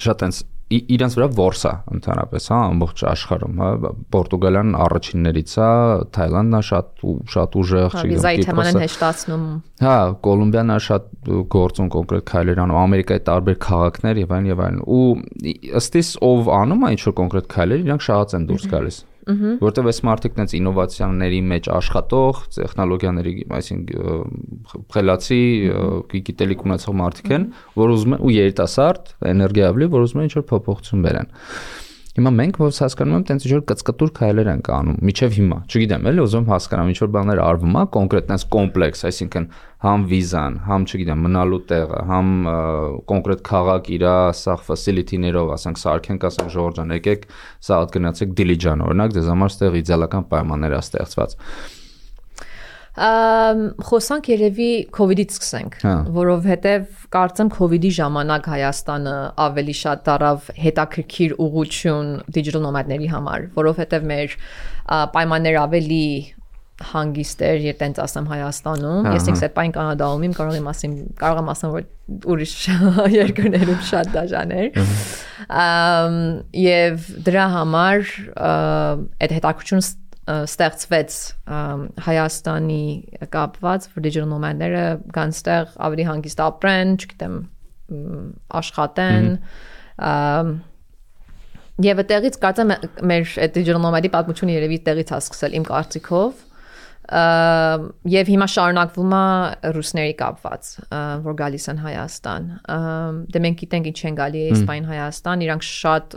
շատ այնց իրանց վրա որսա ընդհանրապես, հա, ամբողջ աշխարհում, հա, Պորտուգալիան առաջիններից է, Թայլանդն է շատ շատ ուժեղ, չգիտեմ, վիզայի թեման են հեշտացնում։ Հա, Կոլումբիան է շատ գործուն կոնկրետ քայլեր անում, Ամերիկայի տարբեր քաղաքներ եւ այլն եւ այլն։ Ու ըստ իս ով անում է ինչ որ կոնկրետ քայլեր, իրանք շատ են դուրս գալիս։ Որտեւ այս մարդիկ այնց ինովացիաների մեջ աշխատող, տեխնոլոգիաների, այսինքն խելացի, գիտելիք ունեցող մարդիկ են, որ ուզում են ու երիտասարդ, էներգիայավլի, որ ուզում են ինչ-որ փոփոխություն բերեն։ Հիմա մենք ոնց հասկանում եմ, տենց ինչ-որ կծկտուր քայլեր են անում, միջև հիմա, չգիտեմ, էլի ուզում հասկանամ, ինչ-որ բաներ արվում է, կոնկրետ տենց կոմպլեքս, այսինքն համ վիզան, համ չգիտեմ, մնալու տեղը, համ կոնկրետ քաղաք իր սա ֆասիլիտիներով, ասենք սարքենք, ասենք Ժորժ ջան, եկեք, սա հատ գնացեք Դիլիջան, օրինակ, դες համար ստեղ իդեալական պայմաններ է ստեղծված։ Խոսանք երևի COVID-ից սկսենք, որովհետև կարծեմ COVID-ի ժամանակ Հայաստանը ավելի շատ դարավ հետաքրքիր ուղղություն digital nomad-ների համար, որովհետև մեր պայմանները ավելի հանգիստ էր, երբ տենց ասեմ Հայաստանում, ես ինքս այդ պայն Կանադայում եմ, կարող եմ ասեմ, կարող եմ ասեմ, որ ուրիշ երկրներում շատ դաժան էր։ Եվ դրա համար այդ հետաքրքրությունը ստեղծվեց Հայաստանի կապված, որ digital nomad-ները կան ստեղ ավելի հանգիստ ապրեն, չգիտեմ, աշխատեն, եւ այդտեղից կարծեմ մեր այդ digital nomad-ի պատմությունը երևի այդտեղից է սկսել իմ կարծիքով, եւ հիմա շարունակվում է ռուսների կապված, որ գալիս են Հայաստան։ Դե մենք գիտենք ինչ են գալի Իսպայն Հայաստան, իրանք շատ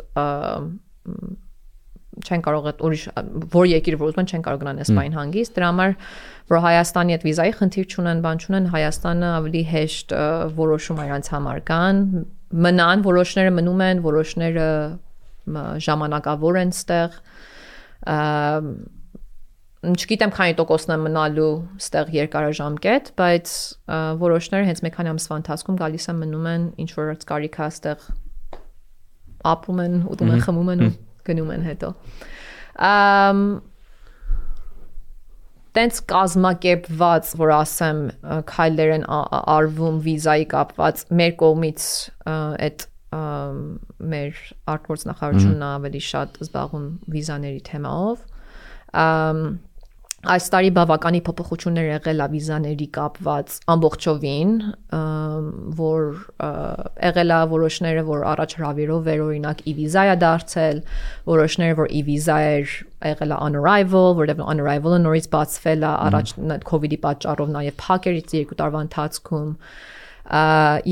չեն կարող այդ ուրիշ որ երկիր որ ուզում են չեն կարող գնան Իսպայն հանգիստ, դրա համար որ Հայաստանի այդ վիզայի խնդիր չունեն, բան չունեն, Հայաստանը ավելի հեշտ որոշում իրանց համար կան, մնան, որոշները մնում են, որոշները ժամանակավոր են ստեղ, չգիտեմ քանի տոկոսն է մնալու ստեղ երկարաժամկետ, բայց որոշները հենց մեկ քանի ամսվա ընթացքում գալիս են մնում են, ինչ որ կարիք է ստեղ ապրում են, ուտում են, խմում են ու գնում են հետո։ Տենց կազմակերպված, որ ասեմ, քայլեր են արվում վիզայի կապված, մեր կողմից այդ մեր արտգործնախարարությունն ավելի շատ զբաղվում վիզաների թեմայով։ Այս տարի բավականի փոփոխություններ եղել է վիզաների կապված ամբողջովին, որ եղել է որոշները, որ առաջ հրավիրով էր օրինակ e-վիզա է դարձել, որոշները, որ e-վիզա էր եղել է on arrival, որտեղ on arrival-ը նորից բացվել է, առաջ COVID-ի պատճառով նաև փակերից երկու տարվա ընթացքում,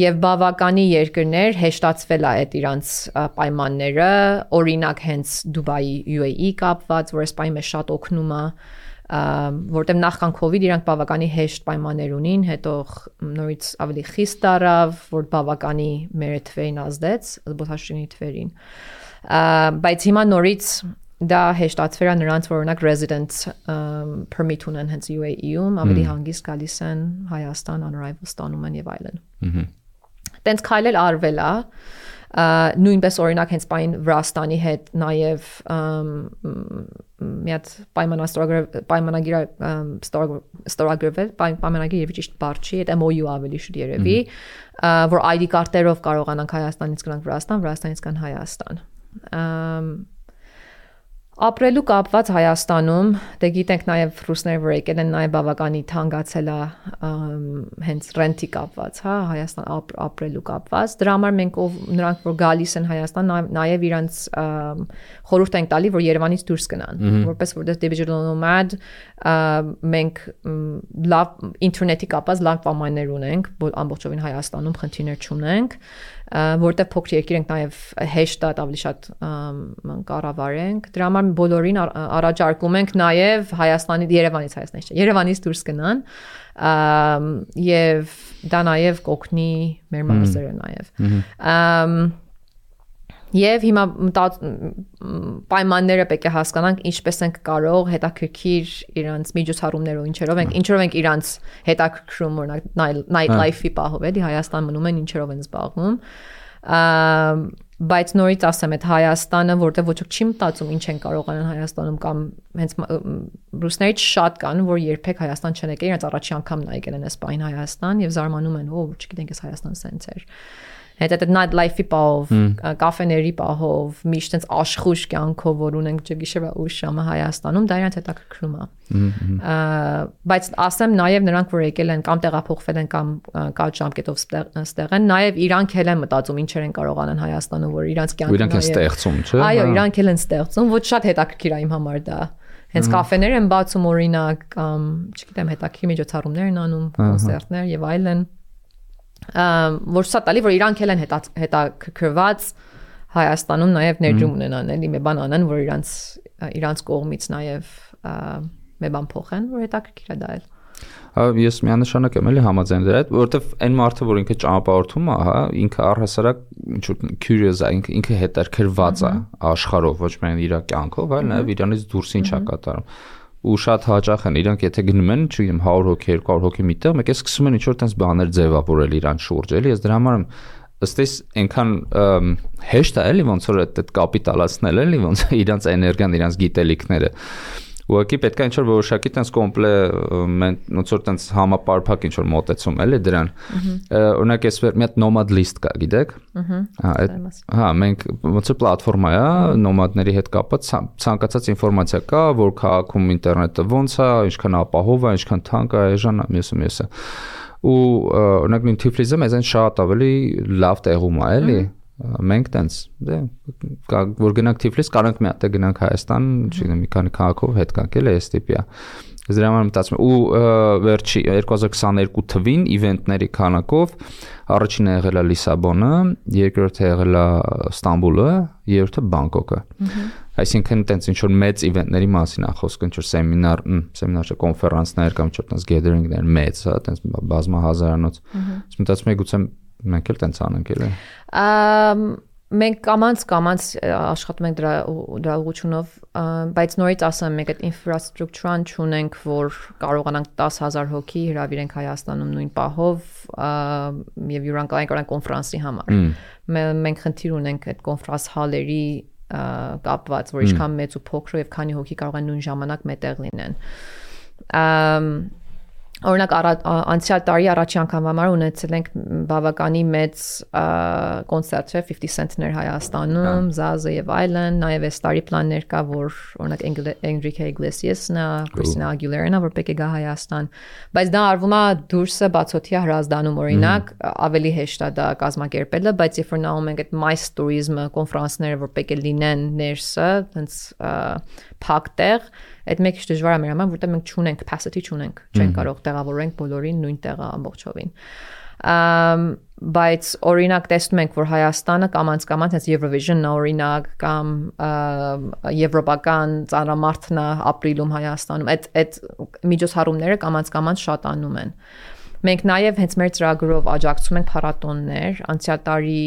եւ բավականի երկրներ հեշտացվել է այդ իրանց պայմանները, օրինակ հենց Դուբայի U A E կապված, որ այս պայմանը շատ օգնում է, որտեղ նախքան COVID իրանք բավականի հեշտ պայմաններ ունին, հետո նորից ավելի խիստ դարավ, որ բավականի մեր թվերին ազդեց, զբոսաշրջիկների թվերին, բայց հիմա նորից դա հեշտացվել է նրանց, որ օրինակ resident permit ունեն հենց U A E-ում, ավելի հանգիստ գալիս են Հայաստան, on arrival ստանում են եւ այլն։ Տենց քայլել արվել է, նույնպես օրինակ հենց պայն Վրաստանի հետ նաև մի հատ պայմանագիր ստորագրվել, պայմանագիր երևի ճիշտ բառ չի, այդ M O U ավելի շուտ երևի, որ I D կարտերով կարողանանք Հայաստանից գնանք Վրաստան, Վրաստանից գան Հայաստան։ Ապրելու կապված Հայաստանում, դե գիտենք նաև ռուսները որ եկել են նաև բավականի թանկացել է հենց ռենտի կապված, հա, Հայաստան ապրելու կապված, դրա համար մենք նրանք որ գալիս են Հայաստան, նաև իրանց խորհուրդ ենք տալի, որ Երևանից դուրս գնան, որպես որտեղ digital nomad մենք լավ ինտերնետի կապված լավ պայմաններ ունենք, ամբողջովին Հայաստանում խնդիրներ չունենք, որտեղ փոքր երկիր ենք նաև հեշտ է ավելի շատ կառավարենք, դրա համար բոլորին առաջարկում ենք նաև Հայաստանի Երևանից Հայաստանից չէ, Երևանից դուրս գնան եւ դա նաև կօգնի մեր մարզերը նաև։ Եվ հիմա պայմանները պետք է հասկանանք ինչպես ենք կարող հետաքրքիր իրանց միջոցառումներով ինչերով ենք ինչերով ենք իրանց հետաքրքրում օրինակ night life-ի պահով էլի Հայաստան մնում են ինչերով են զբաղվում բայց նորից ասեմ այդ Հայաստանը որտեղ ոչ ոք չի մտածում ինչ են կարող անեն Հայաստանում կամ հենց ռուսներից շատ կան որ երբեք Հայաստան չեն եկել իրենց առաջի անգամն ա եկել են Իսպայն Հայաստան եւ զարմանում են ո չգիտենք այս Հայաստան սենց էր Հետ այդ night life-ի պահով, կաֆեների պահով, միշտ այնց աշխույժ կյանքով, որ ունենք ջգիշեվա ուշ ժամը Հայաստանում, դա իրանց հետաքրքրում է։ Բայց ասեմ նաև նրանք, որ եկել են կամ տեղափոխվել են կամ կարճ ժամկետով ստեղ են, նաև իրանք էլ են մտածում ինչեր են կարող անեն Հայաստանում, որ իրանց կյանքը իրանք են ստեղծում, չէ՞։ Այո, իրանք էլ են ստեղծում, ոչ շատ հետաքրքիր է իմ համար դա։ Հենց կաֆեներ են բացում օրինակ, կամ չգիտեմ, հետաքրքիր միջոցառումներ են անում, կոնցերտներ եւ այլն։ Որ շատ տալի որ իրանք էլ են հետաքրքրված Հայաստանում նաև ներդրում ունենան, էլի մի բան անեն, որ իրանց իրանց կողմից նաև մի բան փոխեն, որ հետաքրքիր է դա էլ։ Ես միանշանակ եմ էլի համաձայն դրա հետ, որովհետև այն մարդը, որ ինքը ճանապարհորդում է, հա, ինքը առհասարակ ինչ որ curious է, ինքը ինքը հետաքրքրված է աշխարհով, ոչ միայն իր կյանքով, այլ նաև իրանից դուրս ինչ է կատարում։ Ու շատ հաճախ են իրանք եթե գնում են, չգիտեմ, հարյուր հոգի, երկու հարյուր հոգի միտեղ, մեկ է սկսում են ինչ որ տես բաներ ձևավորել իրանց շուրջ, էլի, ես դրա համար եմ ըստ էս այնքան հեշտ է էլի ոնց որ այդ կապիտալացնել էլի, ոնց իրանց էներգիան, իրանց գիտելիքները։ Ուղղակի պետք է ինչ որ որոշակի տես կոմպլե ոնց որ տես համապարփակ ինչ որ մոտեցում էլի դրան։ Օրինակ ես մի հատ nomad list կա, գիտեք։ Հա, հա, մենք ոնց որ պլատֆորմա է, նոմադների հետ կապված ցանկացած ինֆորմացիա կա, որ քաղաքում ինտերնետը ոնց է, ինչքան ապահով է, ինչքան թանկ է, այժմ մյուսը մյուսը։ Ու օրինակ նույն Թիֆլիսը մեզ այն շատ ավելի լավ տեղում է, էլի։ Մենք տենց դե որ գնանք Թիֆլիս, կարանք մի հատ գնանք Հայաստան, չգիտեմ, մի քանի քաղաքով հետ գանք էլ էս տիպի է։ Ես դրա համար մտածում եմ ու վերջի երկու հազար քսաներկու թվին իվենտների քանակով առաջինը եղել է Լիսաբոնը, երկրորդը եղել է Ստամբուլը, երրորդը Բանգկոկը։ Այսինքն տենց ինչ որ մեծ իվենտների մասին է խոսքը, ինչ որ սեմինար, սեմինար չէ, կոնֆերանսներ կամ ինչ որ տենց գեդերինգներ մեծ, հա, տենց բազմահազարանոց։ Ես մտածում եմ գուցե մենք էլ տենց անենք էլի։ Մենք կամանց կամանց աշխատում ենք դրա դրա ուղղությունով, բայց նորից ասեմ, մենք այդ ինֆրաստրուկտուրան չունենք, որ կարողանանք տասը հազար հոգի հրավիրենք Հայաստանում նույն պահով եւ յուրանկարային կարան կոնֆերանսի համար։ Մենք խնդիր ունենք այդ կոնֆերանս հալերի կապված, որ ինչքան մեծ ու փոքր եւ քանի հոգի կարող են նույն ժամանակ մետեղ լինեն։ Օրինակ անցյալ տարի առաջի անգամ համար ունեցել ենք բավականի մեծ կոնցերտ չէ fifty cent-ներ Հայաստանում, Զազը եւ այլն, նաեւ այս տարի պլաններ կա, որ օրինակ Enrique Iglesias-ն, Christina Aguilera-ն, որ պետք է գա Հայաստան, բայց դա արվում է դուրսը բացօթյա հրազդանում, օրինակ ավելի հեշտ է դա կազմակերպելը, բայց երբ որ նայում ենք այդ MICE tourism կոնֆերանսները, որ պետք է լինեն ներսը, այնց փակ տեղ, այդ մեկ քիչ դժվար է մեր համար, որտեղ մենք չունենք capacity չունենք, չենք կարող տեղավորենք բոլորին նույն տեղը ամբողջովին։ Բայց օրինակ տեսնում ենք, որ Հայաստանը կամանց կամանց հենց Eurovision-ն օրինակ կամ եվրոպական ծանրամարտն է ապրիլում Հայաստանում, այդ այդ միջոցառումները կամանց կամանց շատանում են։ Մենք նաև հենց մեր ծրագրով աջակցում ենք փառատոններ, անցյալ տարի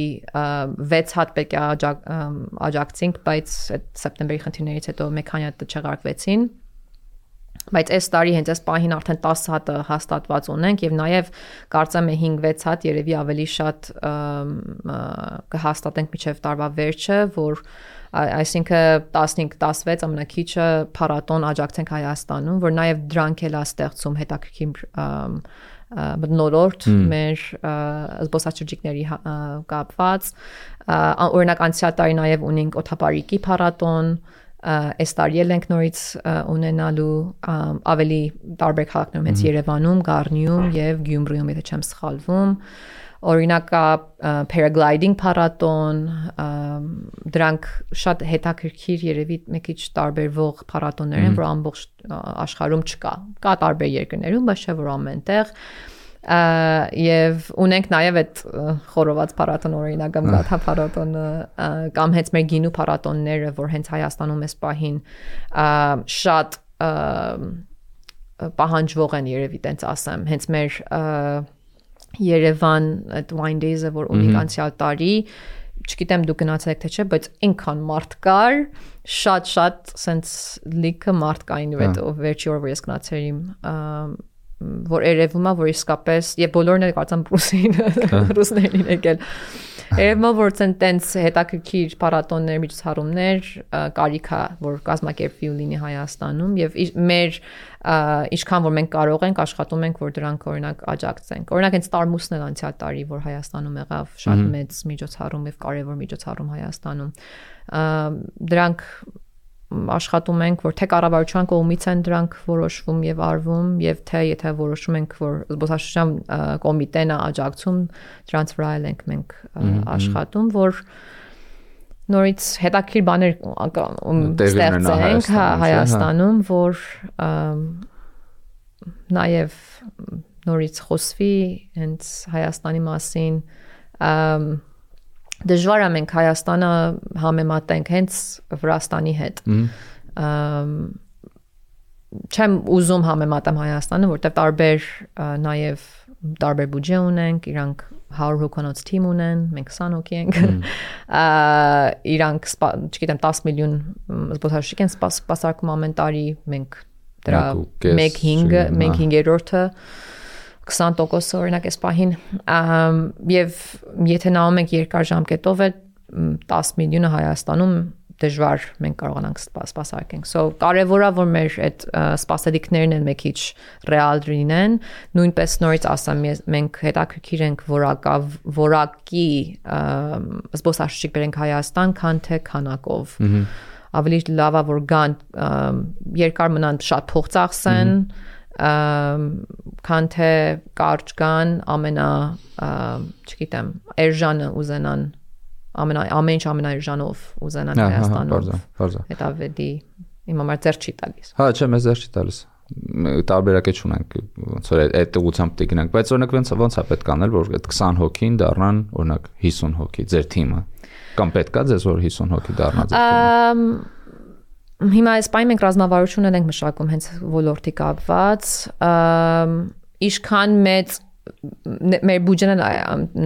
վեց հատ պետք է աջակցենք, բայց այդ սեպտեմբերի խնդիրներից հետո մեկ քանի հատ չեղարկվեցին։ Բայց այս տարի հենց այս պահին արդեն տասը հատը հաստատված ունենք եւ նաև կարծեմ է հինգ-վեց հատ երևի ավելի շատ կհաստատենք մինչեւ տարվա վերջը, որ այսինքն տասնհինգ տասվեց ամենակիչը փառատոն աջակցենք Հայաստանում, որ նաև դրանք էլ է ստեղծում հետաքրքիր մտնոլորտ մեր զբոսաշրջիկների կապված, օրինակ անցյալ տարի նաև ունենք օդապարիկի փառատոն, այս տարի էլ ենք նորից ունենալու ավելի տարբեր քաղաքներում, հենց Երևանում, Գառնիում եւ Գյումրիում, եթե չեմ սխալվում, օրինակ paragliding փառատոն, դրանք շատ հետաքրքիր երևի մի քիչ տարբերվող փառատոններ են, որ ամբողջ աշխարհում չկա, կա տարբեր երկրներում, բայց չէ որ ամենտեղ, եւ ունենք նաեւ այդ խորոված փառատոն, օրինակ կամ գաթա փառատոնը կամ հենց մեր գինու փառատոնները, որ հենց Հայաստանում էս պահին շատ պահանջվող են երևի տենց ասեմ, հենց մեր Երևան այդ Wine Days-ը, որ ունենք անցյալ տարի, չգիտեմ դուք գնացեք թե չէ, բայց այնքան մարդ կար, շատ-շատ սենց լիքը մարդ կային այդ վերջի օրը, որ ես գնացել իմ, որ երևում է, որ իսկապես, եւ բոլորն էլ կարծեմ ռուսին, ռուսներին եկել։ Երևում է, որ տենց հետաքրքիր փառատոններ, միջոցառումներ կարիք է, որ կազմակերպվի ու լինի Հայաստանում եւ մեր ինչքան որ մենք կարող ենք աշխատում ենք, որ դրանք օրինակ աջակցենք։ Օրինակ հենց Տարմուսն էլ անցյալ տարի, որ Հայաստանում եղավ, շատ մեծ միջոցառում եւ կարեւոր միջոցառում Հայաստանում։ Դրանք աշխատում ենք, որ թե կառավարության կողմից են դրանք որոշվում եւ արվում, եւ թե եթե որոշում ենք, որ զբոսաշրջության կոմիտեն է աջակցում, դրանց վրա էլ ենք մենք աշխատում, որ նորից հետաքրքիր բաներ ստեղծենք Հայաստանում, որ նաեւ նորից խոսվի հենց Հայաստանի մասին, դժվար է մենք Հայաստանը համեմատենք հենց Վրաստանի հետ։ Չեմ ուզում համեմատեմ Հայաստանը, որտեղ տարբեր նաև տարբեր բյուջե ունենք, իրանք հարյուր հոգանոց թիմ ունեն, մենք քսան հոգի ենք։ Իրանք, չգիտեմ, տասը միլիոն զբոսաշրջիկ են սպասարկում ամեն տարի, մենք դրա մեկ հինգերորդը քսան տոկոս օրինակ էս պահին, եւ եթե նայում ենք երկար ժամկետով է տասը միլիոնը Հայաստանում դժվար մենք կարողանանք սպասարկենք։ So կարևոր է որ մեր այդ սպասելիքներն են մի քիչ ռեալ լինեն, նույնպես նորից ասեմ, մենք հետաքրքիր ենք որակա որակի զբոսաշրջիկ բերենք Հայաստան, քան թե քանակով։ Ավելի լավ է որ գան երկար մնան շատ փող ծախսեն, քան թե կարճ գան ամենա, չգիտեմ, էժանը ուզենան ամենա ամեն ինչ ամենաերժանով ուզենան Հայաստանով։ Դա վեդի իմ համար ձեռ չի տալիս։ Հա, չէ, մեզ ձեռ չի տալիս։ Տարբերակ չունենք, ոնց որ այդ ուղղությամբ պետք գնանք, բայց օրինակ ոնց ոնց է պետք անել, որ այդ քսան հոգին դառնան օրինակ հիսուն հոգի ձեր թիմը։ Կամ պետք է ձեզ որ հիսուն հոգի դառնա ձեր թիմը։ Հիմա Իսպանիայում մենք ռազմավարություն ենք մշակում հենց ոլորտի կապված, ինչքան մեծ մեր բյուջեն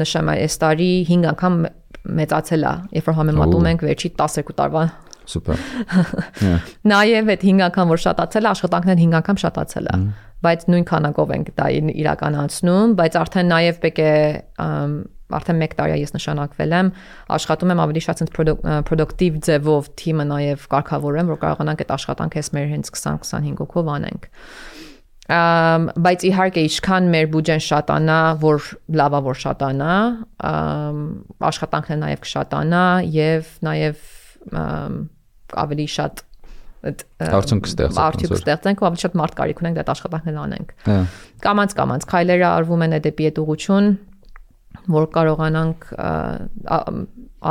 նշեմ այս տարի հինգ անգամ մեծացել է, երբ որ համեմատում ենք վերջի տասներկու տարվա։ Սուպեր։ Նաև այդ հինգ անգամ որ շատացել է, աշխատանքներն հինգ անգամ շատացել է, բայց նույն քանակով ենք դա իրականացնում, բայց արդեն նաև պետք է արդեն մեկ տարի ես նշանակվել եմ, աշխատում եմ ավելի շատ պրոդուկտիվ ձևով թիմը նաև կարգավորեմ, որ կարողանանք այդ աշխատանքը ես մեր հենց քսան քսանհինգ հոգով անենք։ Բայց իհարկե ինչքան մեր բյուջեն շատանա, որ լավա որ շատանա, աշխատանքն նաև կշատանա եւ նաև ավելի շատ արդյունք ստեղծենք ու ավելի շատ մարդ կարիք ունենք այդ աշխատանքն անենք։ Կամած կամած քայլերը արվում են դեպի այդ ուղղություն, որ կարողանանք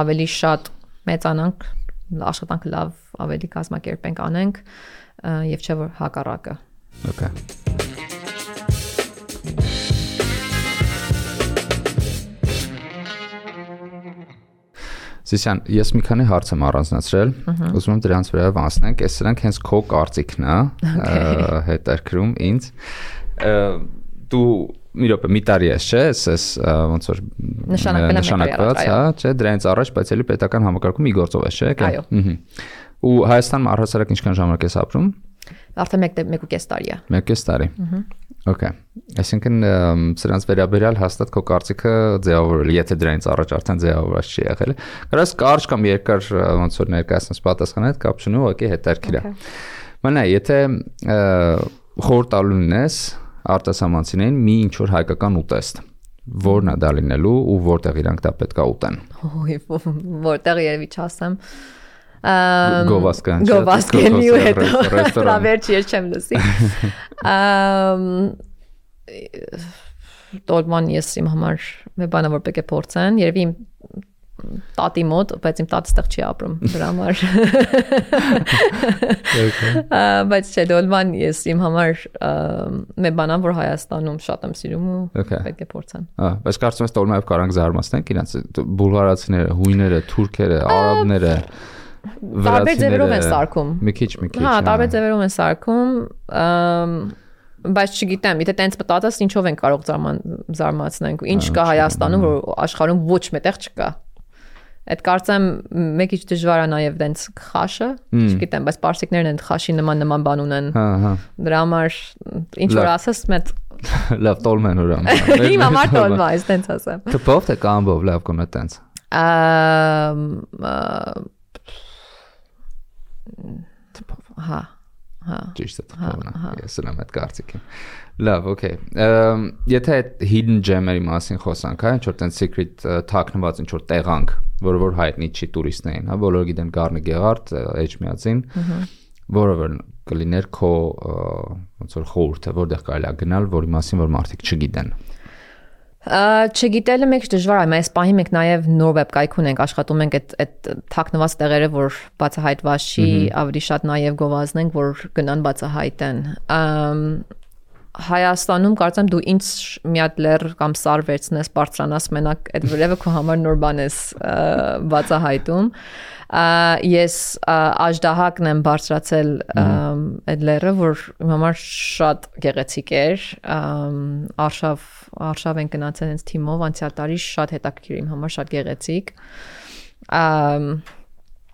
ավելի շատ մեծանանք, աշխատանքը լավ ավելի կազմակերպենք անենք եւ չէ որ հակառակը։ Okay. Սիսյան, ես մի քանի հարց եմ առանձնացրել, ուզում եմ դրանց վրա անցնենք, այս սրանք հենց քո կարծիքն է, հետաքրքրում ինձ։ Դու մի րոպե մի տարի ես, չէ՞, ես ոնց որ նշանակված, հա, չէ՞, դրանից առաջ, բայց էլի պետական համակարգում մի գործով ես, չէ՞։ Այո։ Ու Հայաստանում առհասարակ ինչքան ժամանակ ես ապրում։ Արդեն մեկ ու կես տարի է։ Մեկ ու կես տարի։ Okay։ Այսինքն սրանց վերաբերյալ հաստատ քո կարծիքը ձևավորել, եթե դրանից առաջ արդեն ձևավորված չի եղել։ Կարաս կարճ կամ երկար ոնց որ ներկայացնես պատասխանը հետ կապ չունի, ուղղակի հետաքրքիր է։ Մնա, եթե խորհուրդ տալու ունես արտասահմանցիներին մի ինչ որ հայկական ուտեստ, որն է դա լինելու ու որտեղ իրանք դա պետք է ուտեն։ Որտեղ երևի չասեմ։ Գովասկան Գովասկենի ու հետո լավերչի ես չեմ լսի։ Տոլման ես իմ համար մի բան որ պետք է փորձեն, երևի իմ տատի մոտ, բայց իմ տատը ստեղ չի ապրում դրա համար։ Բայց չէ, դոլման ես իմ համար մի բան որ Հայաստանում շատ եմ սիրում ու պետք է փորձեմ։ Հա, բայց կարծում ես տոլմայով կարանք զարմացնենք իրանց բուլղարացիները, հույները, թուրքերը, արաբները տարբեր ձևերով են սարքում։ Մի քիչ, մի քիչ։ Հա, տարբեր ձևերով են սարքում, բայց չգիտեմ, եթե տենց մտածես ինչով են կարող զարմացնենք, ինչ կա Հայաստանում, որ աշխարհում ոչ մետեղ չկա։ Այդ կարծեմ մի քիչ դժվար է նաև տենց խաշը, չգիտեմ, բայց պարսիկներն են խաշի նման նման բան ունեն։ Հա, հա։ Դրա համար ինչ որ ասես մեծ լավ տոլմեն ուրամ։ Իմ համար տոլմա է, տենց ասեմ։ Թփով թե կամբով լավ կոնը տենց։ Հա, հա։ Ճիշտ է թփովն է։ Ես ունեմ այդ կարծիքին։ Լավ, okay։ Եթե այդ hidden gem-երի մասին խոսանք, հա, ինչ որ տենց secret թաքնված ինչ որ տեղանք, որը որ հայտնի չի տուրիստներին, հա, բոլորը գիտեն Գառնի Գեղարդ, Էջմիածին, որը որ կլիներ քո ոնց որ խորհուրդը, որտեղ կարելի է գնալ, որի մասին որ մարդիկ չգիտեն։ Չգիտելը մեկ դժվար է, այս պահի մենք նաև նոր վեբկայք ունենք, աշխատում ենք այդ այդ թաքնված տեղերը, որ բացահայտված չի, ավելի շատ նաև գովազդենք, որ գնան բացահայտեն։ Հայաստանում կարծեմ դու ինչ մի հատ լեր կամ սար վերցնես, բարձրանաս մենակ այդ վրևը քո համար նոր բան ես բացահայտում։ Ես աժդահակն եմ բարձրացել այդ լերը, որ իմ համար շատ գեղեցիկ էր, արշավ արշավ են գնացել հենց թիմով, անցյալ տարի շատ հետաքրքիր իմ համար, շատ գեղեցիկ։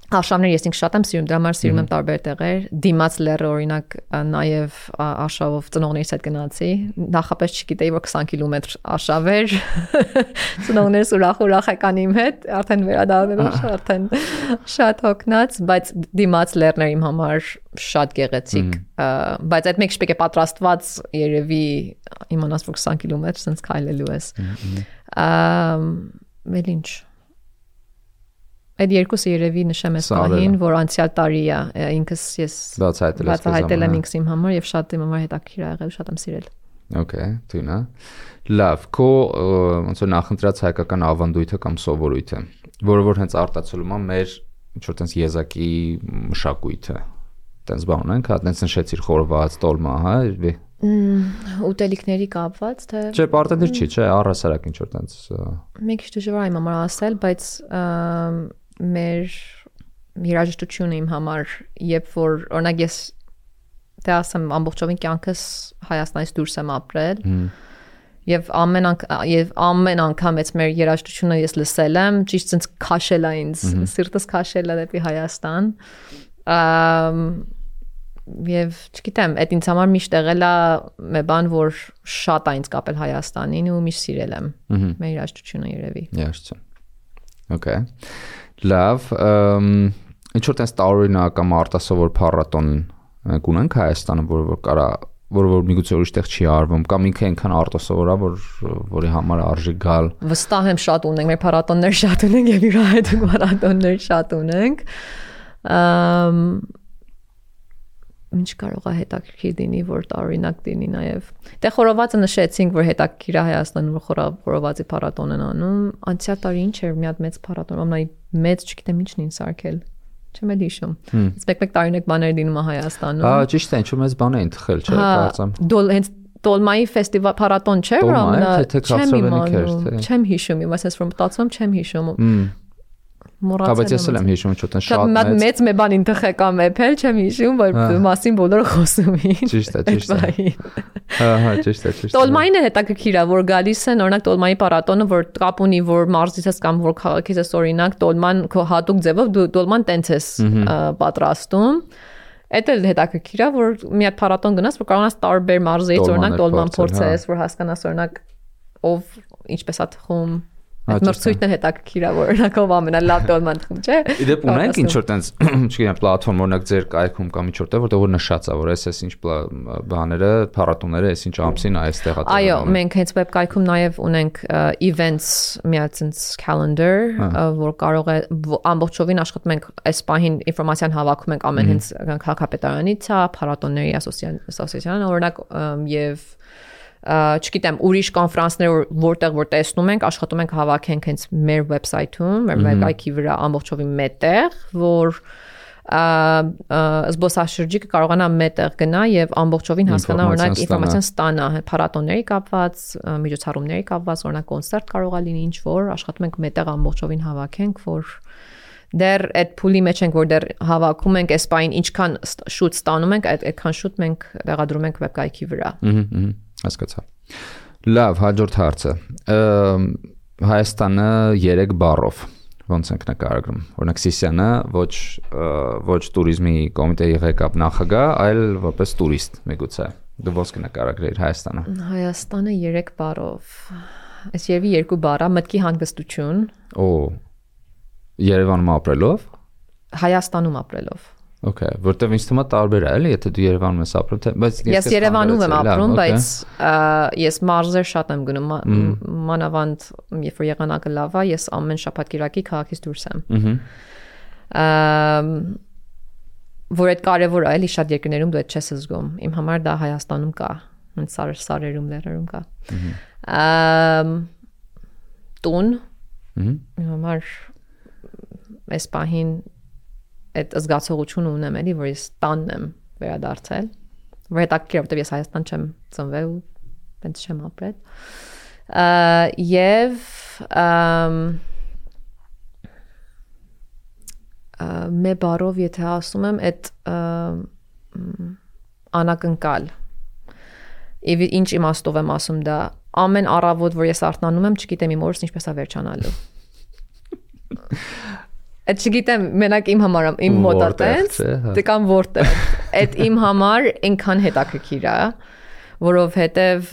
Արշավներ ես ինքս շատ եմ սիրում, դրա համար սիրում եմ տարբեր տեղեր։ Դիմաց լերը օրինակ նաև արշավով ծնողներիս հետ գնացի։ Նախապես չգիտեի, որ քսան կիլոմետր արշավ էր։ Ծնողներս ուրախ-ուրախ եկան իմ հետ, արդեն վերադառնալով արդեն շատ հոգնած, բայց դիմաց լերն էր իմ համար շատ գեղեցիկ։ Բայց այդ մեկ շպեկ է պատրաստված երևի իմանաս, որ քսան կիլոմետր sense քայլելու ես։ Վել ինչ Այդ երկուսը երևի նշեմ ես պահին, որ անցյալ տարի է, ինքս ես բացահայտել եմ ինքս իմ համար եւ շատ իմ համար հետաքրքիր ա եղել, շատ եմ սիրել։ Okay, դինա։ Լավ, քո ոնց որ նախընտրած հայկական ավանդույթը կամ սովորույթը, որը որ հենց արտացոլում է մեր ինչ որ տես եզակի մշակույթը։ Տենց բան ունենք, հա, տենց նշեցիր խորոված, տոլմա, հա, ուտելիքների կապված, թե Չէ, պարտադիր չի, չէ, առհասարակ ինչ որ տենց Մի քիչ դժվար է իմ համար ասել, բայց մեր երաժշտությունը իմ համար, երբ որ օրինակ ես թե ասեմ ամբողջովին կյանքս Հայաստանից դուրս եմ ապրել եւ ամեն եւ ամեն անգամ ես մեր երաժշտությունը ես լսել եմ, ճիշտ sense քաշել է ինձ, սիրտս քաշել է դեպի Հայաստան։ Եվ չգիտեմ, այդ ինձ համար միշտ եղել է մի բան, որ շատ է ինձ կապել Հայաստանին ու միշտ սիրել եմ մեր երաժշտությունը երևի։ Երաժշտություն։ Okay։ Լավ, ինչ որ տես տարօրինակ կամ արտասովոր փառատոն ունենք Հայաստանը, որը որ կարա, որը որ միգուցե ուրիշ տեղ չի արվում, կամ ինքը այնքան արտասովոր է, որ որի համար արժի գալ։ Վստահ եմ շատ ունենք, մեր փառատոններ շատ ունենք եւ յուրահատուկ փառատոններ շատ ունենք։ Ինչ կարող է հետաքրքիր լինի, որ տարօրինակ լինի նաև։ Դե խորովածը նշեցինք, որ հետաքրքիր է Հայաստանում, որ խորովածի փառատոն են անում։ Անցյալ տարի ինչ էր, մի հատ մեծ փառատոն, ամենայ մեծ, չգիտեմ ինչն էին սարքել։ Չեմ էլ հիշում։ Իսկ մեկ-մեկ տարօրինակ բաներ լինում է Հայաստանում։ Հա, ճիշտ է, ինչու՞ մեծ բան էին թխել, չէ՞, կարծեմ։ Դոլ հենց Տոլմայի ֆեստիվալ փառատոն չէ, որ ամենա չեմ հիշում, իմ ասես որ մտածում չեմ հիշում։ Բայց ես եմ հիշում ոչ թե շատ մեծ մեծ մի բան ինտեխեկամ էփել չեմ հիշում, որ մասին բոլորը խոսում էին։ Ճիշտ է, ճիշտ է։ Հա, հա, ճիշտ է, ճիշտ է։ Տոլմային է հետաքրքիր է, որ գալիս են, օրինակ Տոլմայի փառատոնը, որ կապ ունի, որ մարզից ես կամ որ քաղաքից ես օրինակ Տոլման քո հատուկ ձևով դու Տոլման տենց ես պատրաստում։ Այդ էլ հետաքրքիր է, որ մի հատ փառատոն գնաս, որ կարողանաս տարբեր մարզից օրինակ Տոլման փորձես, որ հասկանաս օրինակ ով ինչպես է թխում Այդ մրցույթն է հետաքրքիր է, որ օրինակով ամենալավ տոլման թխում, չէ։ Իդեպ ունենք ինչ որ տենց, չգիտեմ, պլատֆորմ օրինակ ձեր կայքում կամ ինչ որտեղ, որտեղ որ նշած է, որ այս էս ինչ բաները, փառատոները, այս ինչ ամսին այստեղ է։ Այո, մենք հենց web կայքում նաև ունենք events միացած calendar, որ կարող է ամբողջովին աշխատում ենք այս պահին ինֆորմացիան հավաքում ենք ամեն հենց քաղաքապետարանից, փառատոների ասոցիացիան, օրինակ եւ չգիտեմ, ուրիշ կոնֆերանսներ որտեղ որ տեսնում ենք, աշխատում ենք հավաքենք հենց մեր վեբսայթում, մեր վեբսայթի վրա ամբողջովին մետեղ, որ զբոսաշրջիկը կարողանա մետեղ գնա եւ ամբողջովին հասկանա օրինակ ինֆորմացիան ստանա փառատոնների կապված, միջոցառումների կապված, օրինակ կոնցերտ կարող է լինի ինչ որ, աշխատում ենք մետեղ ամբողջովին հավաքենք, որ դեռ այդ փուլի մեջ ենք, որ դեռ հավաքում ենք այս բային ինչքան շուտ ստանում ենք, այդքան շուտ մենք տեղադրում ենք վեբկայքի վրա։ Ահա, հասկացա։ Լավ, հաջորդ հարցը։ Հայաստանը երեք բառով ոնց ենք նկարագրում։ Օրինակ Սիսիանը ոչ ոչ туриզմի կոմիտեի ղեկավար նախագահ, այլ որպես տուրիստ, միգուցե։ Դու ոնց կնկարագրեիր Հայաստանը։ Հայաստանը երեք բառով։ Այս երևի երկու բառ է, մտքի հանգստություն։ Օ Երևանում ապրելով։ Հայաստանում ապրելով։ Okay, որտեվ ինձ թվում է տարբեր է, էլի, եթե դու Երևանում ես ապրում, թե բայց ես Երևանում եմ ապրում, բայց ես մարզեր շատ եմ գնում, մանավանդ երբ որ եղանակը լավ է, ես ամեն շաբաթ կիրակի քաղաքից դուրս եմ։ Ահա։ Որ այդ կարևոր է, էլի շատ երկրներում դու այդ չես զգում։ Իմ համար դա Հայաստանում կա, հենց սարերում, լեռներում կա։ Ահա։ Տուն։ Իմ համար այս պահին այդ զգացողությունը ունեմ էլի, որ ես տանն եմ վերադարձել, որ հետաքրքիր է, որտեղ ես Հայաստան չեմ ծնվել ու տենց չեմ ապրել։ Եվ մե բարով եթե ասում եմ, այդ անակնկալ Եվ ինչ իմաստով եմ ասում դա, ամեն առավոտ, որ ես արթնանում եմ, չգիտեմ իմ օրս ինչպես է վերջանալու։ Այդ չգիտեմ, մենակ իմ համար, իմ մոտ է տենց, դե կամ որտեղ։ Այդ իմ համար այնքան հետաքրքիր է, որովհետև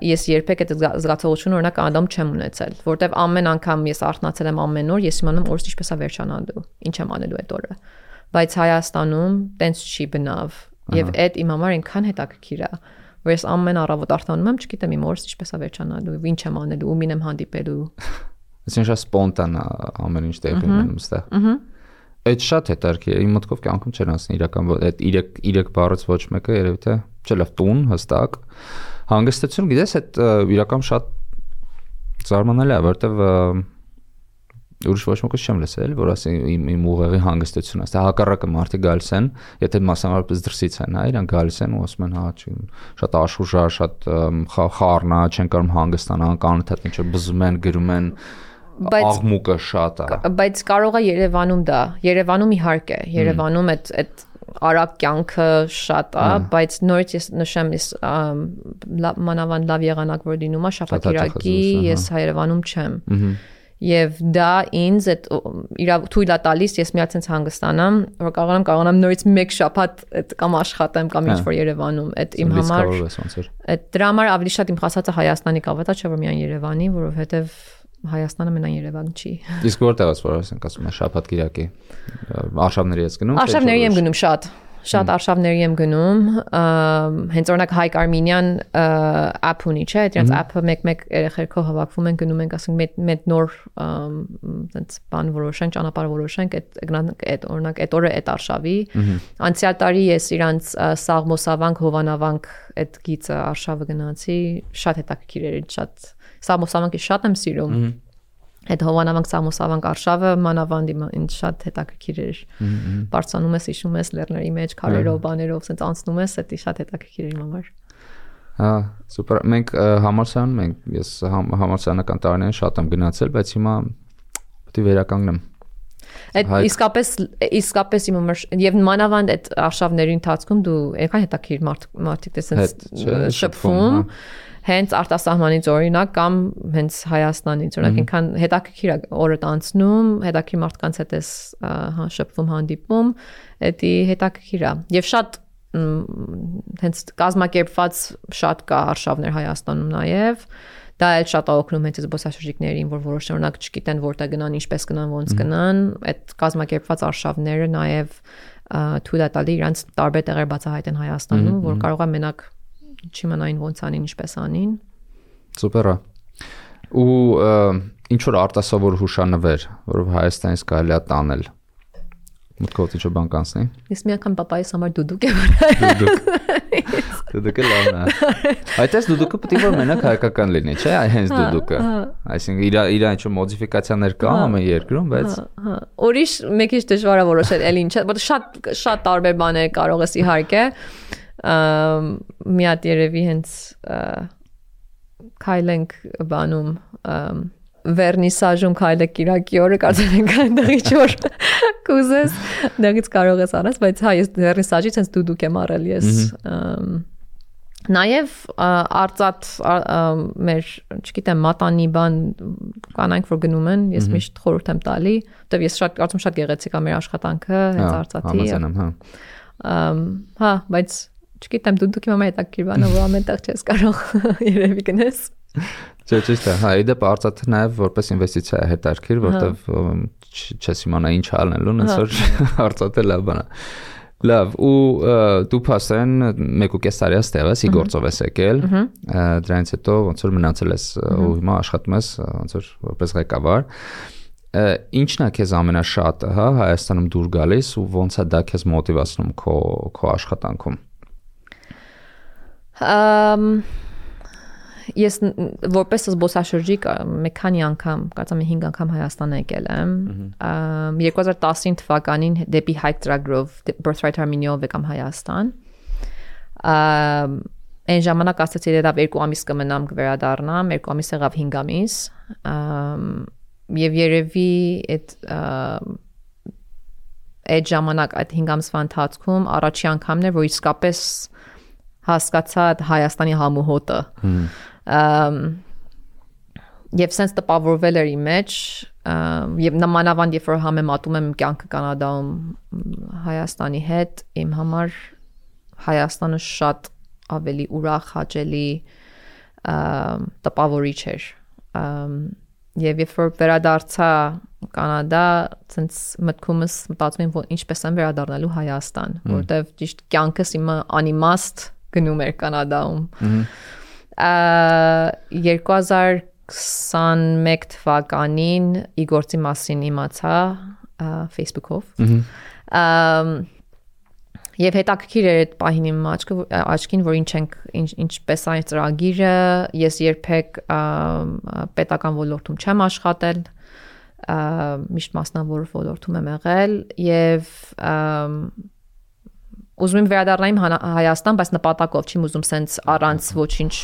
ես երբեք այդ զգացողությունը օրինակ անդամ չեմ ունեցել, որովհետև ամեն անգամ ես արթնացել եմ ամեն օր, ես իմանում օրս ինչպես է վերջանալու, ինչ եմ անելու այդ օրը։ Բայց Հայաստանում տենց չի բնավ, եւ այդ իմ համար այնքան հետաքրքիր է, որ ես ամեն առավոտ արթնանում եմ, չգիտեմ իմ օրս ինչպես է վերջանալու, ինչ եմ անելու, ումին եմ հանդիպելու։ Այսինքն սպոնտան ամեն ինչ տեղի ունենում ստեղ։ Այդ շատ հետաքրքիր է, իմ մտքով կյանքում չեն ասնի իրական այդ երեք բառից ոչ մեկը երևի թե չէ լավ տուն հստակ հանգստություն գիտես այդ իրական շատ զարմանալի է որտեվ ուրիշ ոչ մեկը չեմ լսել որ ասի իմ իմ ուղեղի հանգստությունն է դա հակառակը մարդիկ գալիս են եթե մասնավորապես դրսից են հա իրանք գալիս են ու ասում են հա շատ աշխուժա շատ խառնա չեն կարող հանգստանալ կանոթ ինչ բզում են գրում են աղմուկը շատ է բայց կարող է Երևանում դա Երևանում իհարկե Երևանում այդ այդ արագ կյանքը շատ է բայց նորից ես նշեմ ես մանավանդ լավ եղանակ որ դինում է շաբաթ-կիրակի ես Երևանում չեմ Եվ դա ինձ այդ իրա թույլ է տալիս ես միած ինձ հանգստանամ որ կարողանամ կարողանամ նորից մեկ շաբաթ այդ կամ աշխատեմ կամ ինչ որ Երևանում այդ իմ համար այդ դրա համար ավելի շատ իմ խասածը Հայաստանի կավետա չէ որ միայն Երևանի որովհետև Հայաստանը մենան Երևան չի Իսկ որտեղից որ ասենք ասում են շաբաթ-կիրակի արշավների ես գնում Արշավների եմ գնում շատ Շատ արշավների եմ գնում, հենց օրինակ Հայկ Արմինյան app ունի, չէ, դրանց app-ը մեկ-մեկ երեխերքով հավաքվում են, գնում ենք, ասենք, մեծ նոր այնց բան որոշենք, ճանապարհ որոշենք, այդ օրինակ այդ օրը այդ արշավի։ Անցյալ տարի ես իրանց Սաղմոսավանք, Հովանավանք այդ գիծը արշավը գնացի, շատ հետաքրքիր էր, շատ Սաղմոսավանքը շատ եմ սիրում։ Այդ Հովանավանք Սամոսավանք արշավը մանավանդ ինձ շատ հետաքրքիր էր։ Բարձանում ես, իջնում ես լեռների մեջ, քարերով, բաներով, ասենց անցնում ես, դա շատ հետաքրքիր էր իմ համար։ Հա, սուպեր։ Մենք համալսարանում ենք, ես համալսարանական տարիներին շատ եմ գնացել, բայց հիմա պետք է վերականգնեմ։ Այդ իսկապես իսկապես իմ համար եւ մանավանդ այդ արշավների ընթացքում դու այնքան հետաքրքիր մարդիկ տեսած շփվում հենց արտասահմանից օրինակ կամ հենց Հայաստանից օրինակ ինքան հետաքրքիր է օրը անցնում հետաքրքիր մարդկանց հետ ես հա շփվում հանդիպում դա հետաքրքիր է եւ շատ հենց կազմակերպված շատ կա արշավներ Հայաստանում նաեւ դա էլ շատ օգնում հենց զբոսաշրջիկներին որ որոշ օրինակ չգիտեն որտեղ գնան ինչպես գնան ոնց գնան այդ կազմակերպված արշավները նաեւ թույլ է տալի իրանց տարբեր տեղեր բացահայտեն Հայաստանում որ կարող է մենակ չիմանային ոնց անին ինչպես անին Սուպեր է ու ինչ որ արտասովոր հուշանվեր որով Հայաստանից կարելի է տանել մտքով ինչ բան կանցնի Ես մի անգամ papaիս համար դուդուկ եմ արել Դուդուկ դուդուկը լավն է Այդպես դուդուկը պետք է որ մենակ հայկական լինի չէ հենց դուդուկը այսինքն իր իր ինչ որ մոդիֆիկացիաներ կա ամեն երկրում բայց հա ուրիշ մեկ ինչ դժվար է որոշել էլ ինչ որտեղ շատ շատ տարբեր բաներ կարող ես իհարկե մի հատ երևի հենց քայլենք բանում վերնիսաժում քայլեք Կիրակի օրը կարծեմ ենք այնտեղ ինչ-որ կուզես դրանից կարող ես արած բայց հա ես վերնիսաժից հենց դուդուկ եմ արել ես Նաև արծաթ մեր չգիտեմ մատանի բան կանանք որ գնում են ես միշտ խորհուրդ եմ տալի որտեվ ես շատ կարծում շատ գեղեցիկ է մեր աշխատանքը հենց արծաթի հա բայց չգիտեմ դուդուկի մամա հետաքրքիր բան է որ ամենտեղ չես կարող երևի գնես Չէ, ճիշտ է, հա, իդեպ արծաթը նաև որպես ինվեստիցիա է հետաքրքիր, որտեվ չես իմանա ինչ անելու, հենց որ արծաթը լավ բան է։ Լավ, ու դու փաստորեն մեկ ու կես տարի այստեղ ես, ի գործով ես եկել, դրանից հետո ոնց որ մնացել ես ու հիմա աշխատում ես ոնց որ որպես ղեկավար։ Ինչն է քեզ ամենաշատը, հա, Հայաստանում դուր գալիս ու ոնց է դա քեզ մոտիվացնում քո քո աշխատանքում։ Ամ Ես որպես զբոսաշրջիկ մի քանի անգամ, կարծեմ հինգ անգամ Հայաստան եկել եմ։ երկու հազար տասնինը թվականին դեպի Հայք ծրագրով Birthright Armenia-ով եկամ Հայաստան։ Այն ժամանակ ասացի դեռ երկու ամիս կմնամ կվերադառնամ, երկու ամիս եղավ հինգ ամիս, եւ երևի այդ այդ ժամանակ այդ հինգ ամսվա ընթացքում առաջի անգամն էր, որ իսկապես հասկացա Հայաստանի համուհոտը։ Եվ sense տպավորվել էր իմ մեջ, եւ նմանավանդ երբ որ համեմատում եմ կյանքը Կանադայում Հայաստանի հետ, իմ համար Հայաստանը շատ ավելի ուրախ, հաճելի, տպավորիչ էր։ Եվ երբ որ վերադարձա Կանադա, ցենց մտքումս մտածում եմ, որ ինչպես եմ վերադառնալու Հայաստան, որտեվ ճիշտ կյանքս իմը անիմաստ գնում էր Կանադայում։ երկու հազար քսանմեկ թվականին իգործի մասին իմացա Facebook-ով։ Եվ հետաքրքիր էր այդ պահին իմ աչքին, որ ինչ ենք ինչպես այն ծրագիրը, ես երբեք պետական ոլորտում չեմ աշխատել, միշտ մասնավոր ոլորտում եմ եղել եւ ուզում եմ վերադառնալ Հայաստան, բայց նպատակով չեմ ուզում սենց առանց ոչինչ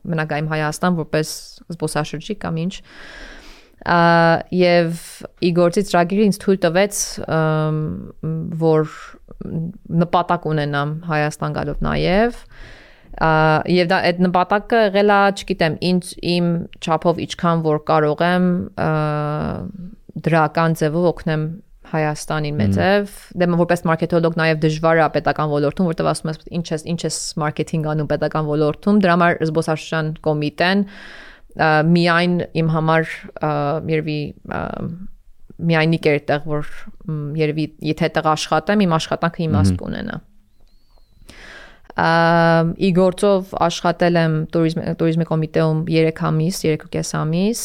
մնալ Հայաստան որպես զբոսաշրջիկ կամ ինչ։ Եվ իգործի ծրագիրը ինձ թույլ տվեց որ նպատակ ունենամ Հայաստան գալով նաև եւ դա այդ նպատակը եղել է, չգիտեմ, ինձ իմ չափով ինչքան որ կարող եմ դրական ձևով օգնեմ Հայաստանին մեծև, դե որպես մարքեթոլոգ նաև դժվար է պետական ոլորտում, որտեղ ասում ես ինչ ես ինչ ես մարքեթինգ անում պետական ոլորտում, դրա համար զբոսաշրջան կոմիտեն միայն իմ համար երևի միայնիկ էր այդտեղ, որ երևի եթե այդտեղ աշխատեմ, իմ աշխատանքը իմաստ կունենա։ Իգործով աշխատել եմ տուրիզմի կոմիտեում երեք ամիս, երեք ու կես ամիս,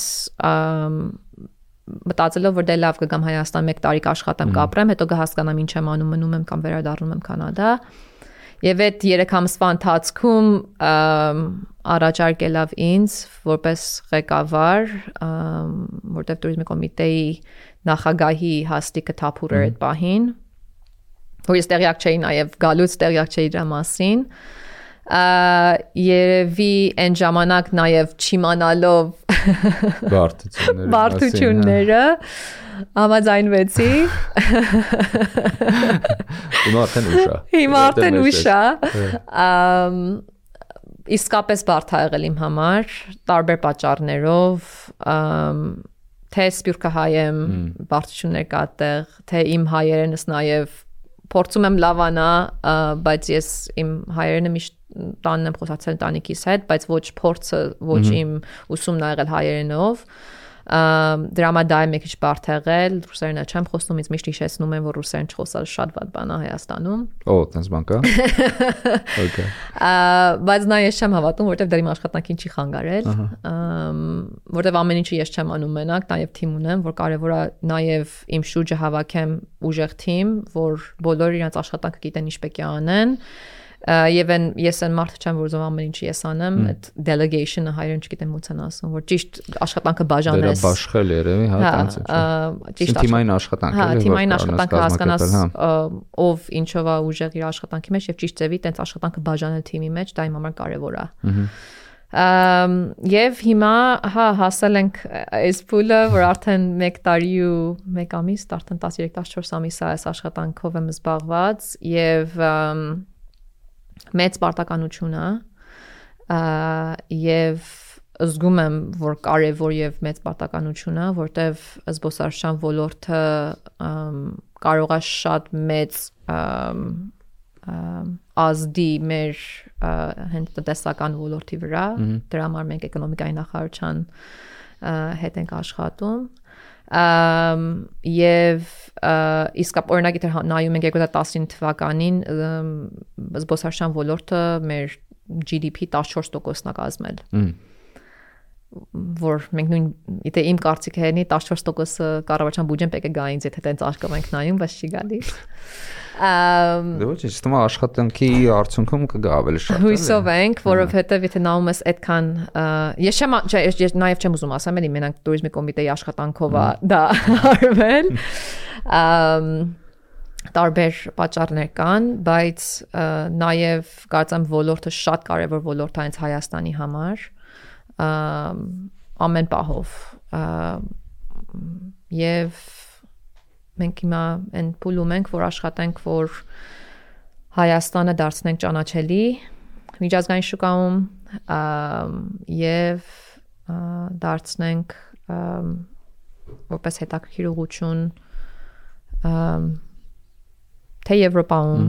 մտածելով որ դե լավ կգամ Հայաստան մեկ տարի կաշխատեմ, կապրեմ, հետո կհասկանամ ինչ եմ անում, մնում եմ կամ վերադառնում եմ Կանադա։ Եվ այդ երեք ամսվա ընթացքում առաջարկելով ինձ որպես ղեկավար, որտեղ տուրիզմի կոմիտեի նախագահի հաստիքը թափուր էր այդ պահին, որ ես տեղյակ չէի նաև գալուց տեղյակ չէի դրա մասին, երևի այն ժամանակ նաև չիմանալով բարդությունները համաձայնվեցի։ Հիմա արդեն ուշ է։ Հիմա արդեն ուշ է։ Իսկապես բարդ է եղել իմ համար, տարբեր պատճառներով, թե սփյուռքը հայ եմ, բարդություններ կա այդտեղ, թե իմ հայերենս նաև փորձում եմ լավանա, բայց ես իմ հայերենը միշտ տանն եմ խոսացել տանիքիս հետ, բայց ոչ փորձը, ոչ իմ ուսումն ա եղել հայերենով։ Դրա համար դա է մի քիչ բարդ եղել, ռուսերենը չեմ խոսում, ինձ միշտ հիշեցնում են, որ ռուսերեն չխոսալ շատ վատ բան է Հայաստանում։ Օ, տենց բան կա։ Okay։ Բայց նա ես չեմ հավատում, որտեվ դեռ իմ աշխատանքին չի խանգարել, որտեվ ամեն ինչը ես չեմ անում մենակ, նաև թիմ ունեմ, որ կարևոր է նաև իմ շուրջը հավաքեմ ուժեղ թիմ, որ բոլորը իրենց աշխատանքը գիտեն ինչ պետք է անեն։ Եվ ես այն մարդը չեմ, որ ուզում ամեն ինչ ես անեմ, այդ delegation-ը հայերեն չգիտեմ ո՞նց են ասում, որ ճիշտ աշխատանքը բաժանես։ Դրա բաշխել երևի, հա, տենց է։ Ճիշտ թիմային աշխատանք է, հա, թիմային աշխատանքը հասկանաս ով ինչով է ուժեղ իր աշխատանքի մեջ եւ ճիշտ ձևի տենց աշխատանքը բաժանել թիմի մեջ, դա իմ համար կարեւոր է։ Եվ հիմա, հա, հասել ենք այս փուլը, որ արդեն մեկ տարի ու մեկ ամիս, արդեն տասներեք տասնչորս ամիս է այս աշխատանքով եմ զբաղված եւ մեծ պարտականություն է եւ զգում եմ, որ կարևոր եւ մեծ պարտականություն է, որտեվ զբոսաշրջան ոլորտը կարող է շատ մեծ ազդի մեր հենց տնտեսական ոլորտի վրա, դրա համար մենք էկոնոմիկայի նախարարության հետ ենք աշխատում։ Եվ իսկապ օրինակ եթե նայում ենք երկու հազար տասնինը թվականին զբոսաշրջան ոլորտը մեր G D P տասնչորս տոկոսն է կազմել, որ մենք նույն եթե իմ կարծիքը հենի տասնչորս տոկոսը կառավարության բյուջեն պետք է գա ինձ եթե տենց արկամ ենք նայում, բայց չի գալիս։ Դե ոչ, ես թվում է աշխատանքի արդյունքում կգա ավելի շատ։ Հույսով ենք, որովհետև եթե նայում ես այդքան ես չեմ ես նաև չեմ ուզում ասեմ, էլի մենակ տուրիզմի կոմիտեի աշխատանքով է դա արվել։ տարբեր պատճառներ կան, բայց նաև կարծեմ ոլորտը շատ կարևոր ոլորտ է հենց Հայաստանի համար, ամեն պահով, եւ մենք հիմա այն փուլում ենք, որ աշխատենք, որ Հայաստանը դարձնենք ճանաչելի միջազգային շուկայում եւ դարձնենք որպես հետաքրքիր ուղղություն թե Եվրոպայում,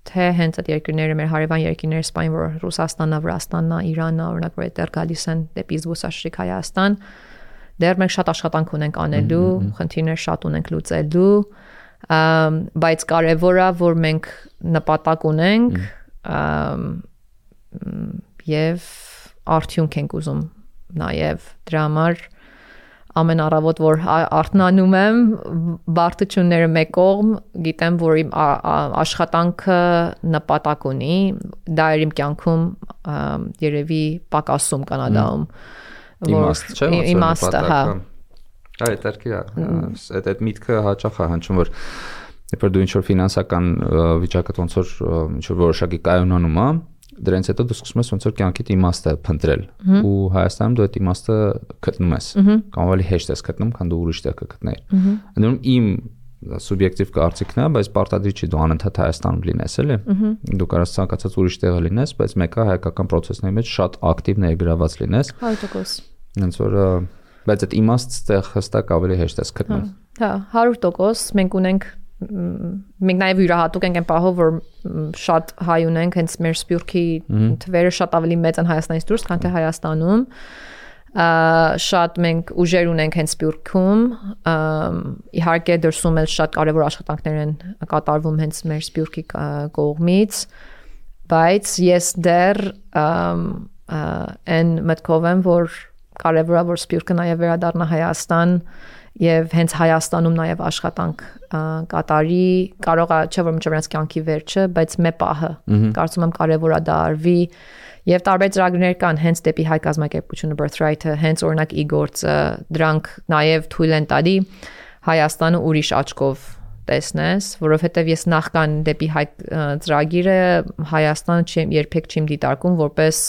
թե հենց այդ երկրները մեր հարևան երկրները սպայն, որ Ռուսաստանն, Վրաստանն, Իրանն, օրինակ, որ այդտեղ գալիս են դեպի զբոսաշրջիկ Հայաստան, դեռ մենք շատ աշխատանք ունենք անելու, խնդիրներ շատ ունենք լուծելու, բայց կարևոր է, որ մենք նպատակ ունենք եւ արդյունք ենք ուզում նաեւ դրա համար ամեն առավոտ որ արթնանում եմ բարդությունները մեկ կողմ գիտեմ որ իմ աշխատանքը նպատակ ունի դա էր իմ կյանքում երևի պակասում Կանադայում իմաստ չէ իմաստը հա այդ երկի այդ այդ միտքը հաճախ է հնչում որ երբ որ դու ինչ որ ֆինանսական վիճակը ոնց որ ինչ որ որոշակի կայունանում է դրանից հետո դու սկսում ես ոնց որ կյանքիդ իմաստը փնտրել ու Հայաստանում դու այդ իմաստը գտնում ես կամ ավելի հեշտ ես գտնում քան դու ուրիշ տեղ կգտնեիր ընդհանուր իմ սուբյեկտիվ կարծիքն է բայց պարտադիր չի դու անընդհատ Հայաստանում լինես էլի դու կարաս ցանկացած ուրիշ տեղը լինես բայց մեկը հայկական process-ների մեջ շատ ակտիվ ներգրաված լինես հարյուր տոկոս ոնց որ բայց այդ իմաստ տեղ հստակ ավելի հեշտ ես գտնում հա հարյուր տոկոս մենք ունենք մենք նաև յուրահատուկ ենք այն պահով որ շատ հայ ունենք հենց մեր Սփյուռքի թվերը շատ ավելի մեծ են Հայաստանից դուրս քան թե Հայաստանում շատ մենք ուժեր ունենք հենց Սփյուռքում իհարկե դրսում էլ շատ կարևոր աշխատանքներ են կատարվում հենց մեր Սփյուռքի կողմից բայց ես դեռ այն մտքով եմ որ կարևոր է որ Սփյուռքը նաև վերադառնա Հայաստան եւ հենց Հայաստանում նաև աշխատանք կատարի կարող է չէ որ մինչև կյանքի վերջը բայց մե պահը կարծում եմ կարևոր է դա արվի եւ տարբեր ծրագրեր կան հենց դեպի հայ կազմակերպությունը Birthright-ը հենց օրինակ e-գործը դրանք նաև թույլ են տալի Հայաստանը ուրիշ աչքով տեսնես որովհետեւ ես նախքան դեպի հայ ծրագիրը Հայաստանը չեմ երբեք չեմ դիտարկում որպես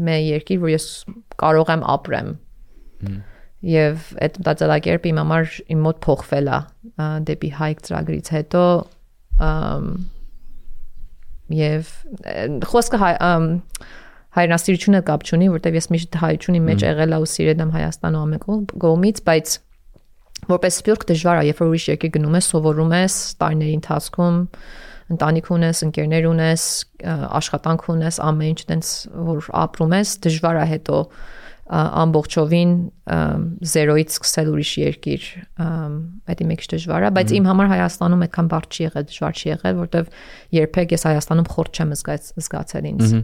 մե երկիր որ ես կարող եմ ապրեմ Եվ այդ մտածելակերպը իմ համար իմ մոտ փոխվել է դեպի հայք ծրագրից հետո եւ խոսքը հայրենասիրությունը կապ չունի, որտեվ ես միշտ հայությունի մեջ եղել եմ ու սիրել եմ Հայաստանը ամեն կողմից, բայց որպես սփյուռք դժվար է, երբ որ ուրիշ երկիր գնում ես, սովորում ես տարիների ընթացքում ընտանիք ունես, ընկերներ ունես, աշխատանք ունես, ամեն ինչ տենց որ ապրում ես, դժվար է հետո ամբողջովին զերոյից սկսել ուրիշ երկիր դա մի քիչ դժվար է բայց իմ համար Հայաստանում այդքան բարդ չի եղել դժվար չի եղել որտեվ երբեք ես Հայաստանում խորտ չեմ զգացել ինձ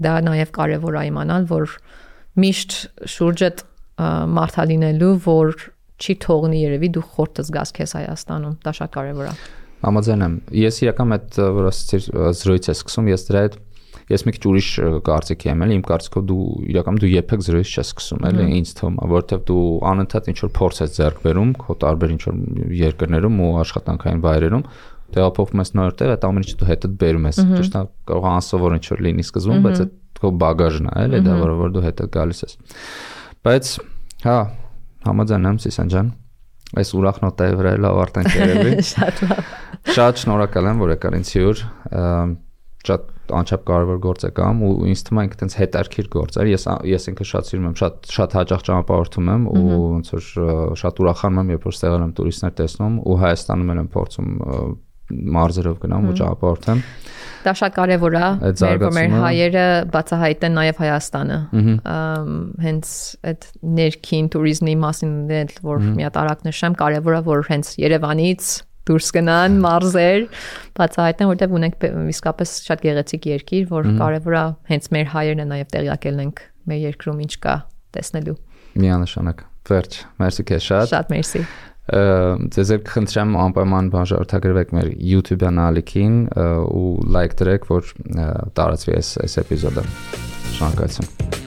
դա նաև կարևոր է իմանալ որ միշտ շուրջդ մարդա լինելու որ չի թողնի երևի դու խորտ զգաս քեզ Հայաստանում դա շատ կարևոր է համաձայն եմ ես իրական այդ որ ասեցիր զրոյից ես սկսում ես դրա հետ Ես մի քիչ ուրիշ կարծիքի եմ, էլի իմ կարծիքով դու իրականում դու երբեք զրոյից չես սկսում, էլի ինձ թվում է, որովհետև դու անընդհատ ինչ որ փորձ ես ձեռք բերում, քո տարբեր ինչ որ երկրներում ու աշխատանքային վայրերում, տեղափոխվում ես նոր տեղ, այդ ամեն ինչը դու հետդ բերում ես։ Ճիշտ է, կարող է անսովոր ինչ որ լինի սկզբում, բայց այդ քո բագաժն է, էլի դա որը որ դու հետդ գալիս ես։ Բայց հա, համաձայն եմ Սիսան ջան, այս ուրախ նոտայի վրա էլ ավարտենք երևի։ Շատ լավ։ Շատ շնորհակալ եմ, որ եկար ինձ հյուր։ Շատ անչափ կարևոր գործ է կամ ու ինձ թվում է ինքը տենց հետարքիր գործ էր ես ես ինքը շատ սիրում եմ շատ շատ հաճախ ճանապարհորդում եմ ու ոնց որ շատ ուրախանում եմ երբ որ ստեղել եմ տուրիստներ տեսնում ու Հայաստանում եմ փորձում մարզերով գնամ ու ճանապարհորդեմ դա շատ կարևոր է մեր մեր հայերը բացահայտեն նաև Հայաստանը հենց այդ ներքին տուրիզմի մասին որ մի հատ արագ նշեմ կարևոր է որ հենց Երևանից դուրս գնան մարզեր բացահայտեն որտեղ ունենք իսկապես շատ գեղեցիկ երկիր որ կարևոր է հենց մեր հայերն է նաև տեղյակ ելնենք մեր երկրում ինչ կա տեսնելու միանշանակ վերջ մերսի քեզ շատ շատ մերսի ձեզ էլ կխնդրեմ անպայման բաժանորդագրվեք մեր YouTube-յան ալիքին ու լայք դրեք որ տարածվի այս այս էպիզոդը շնորհակալություն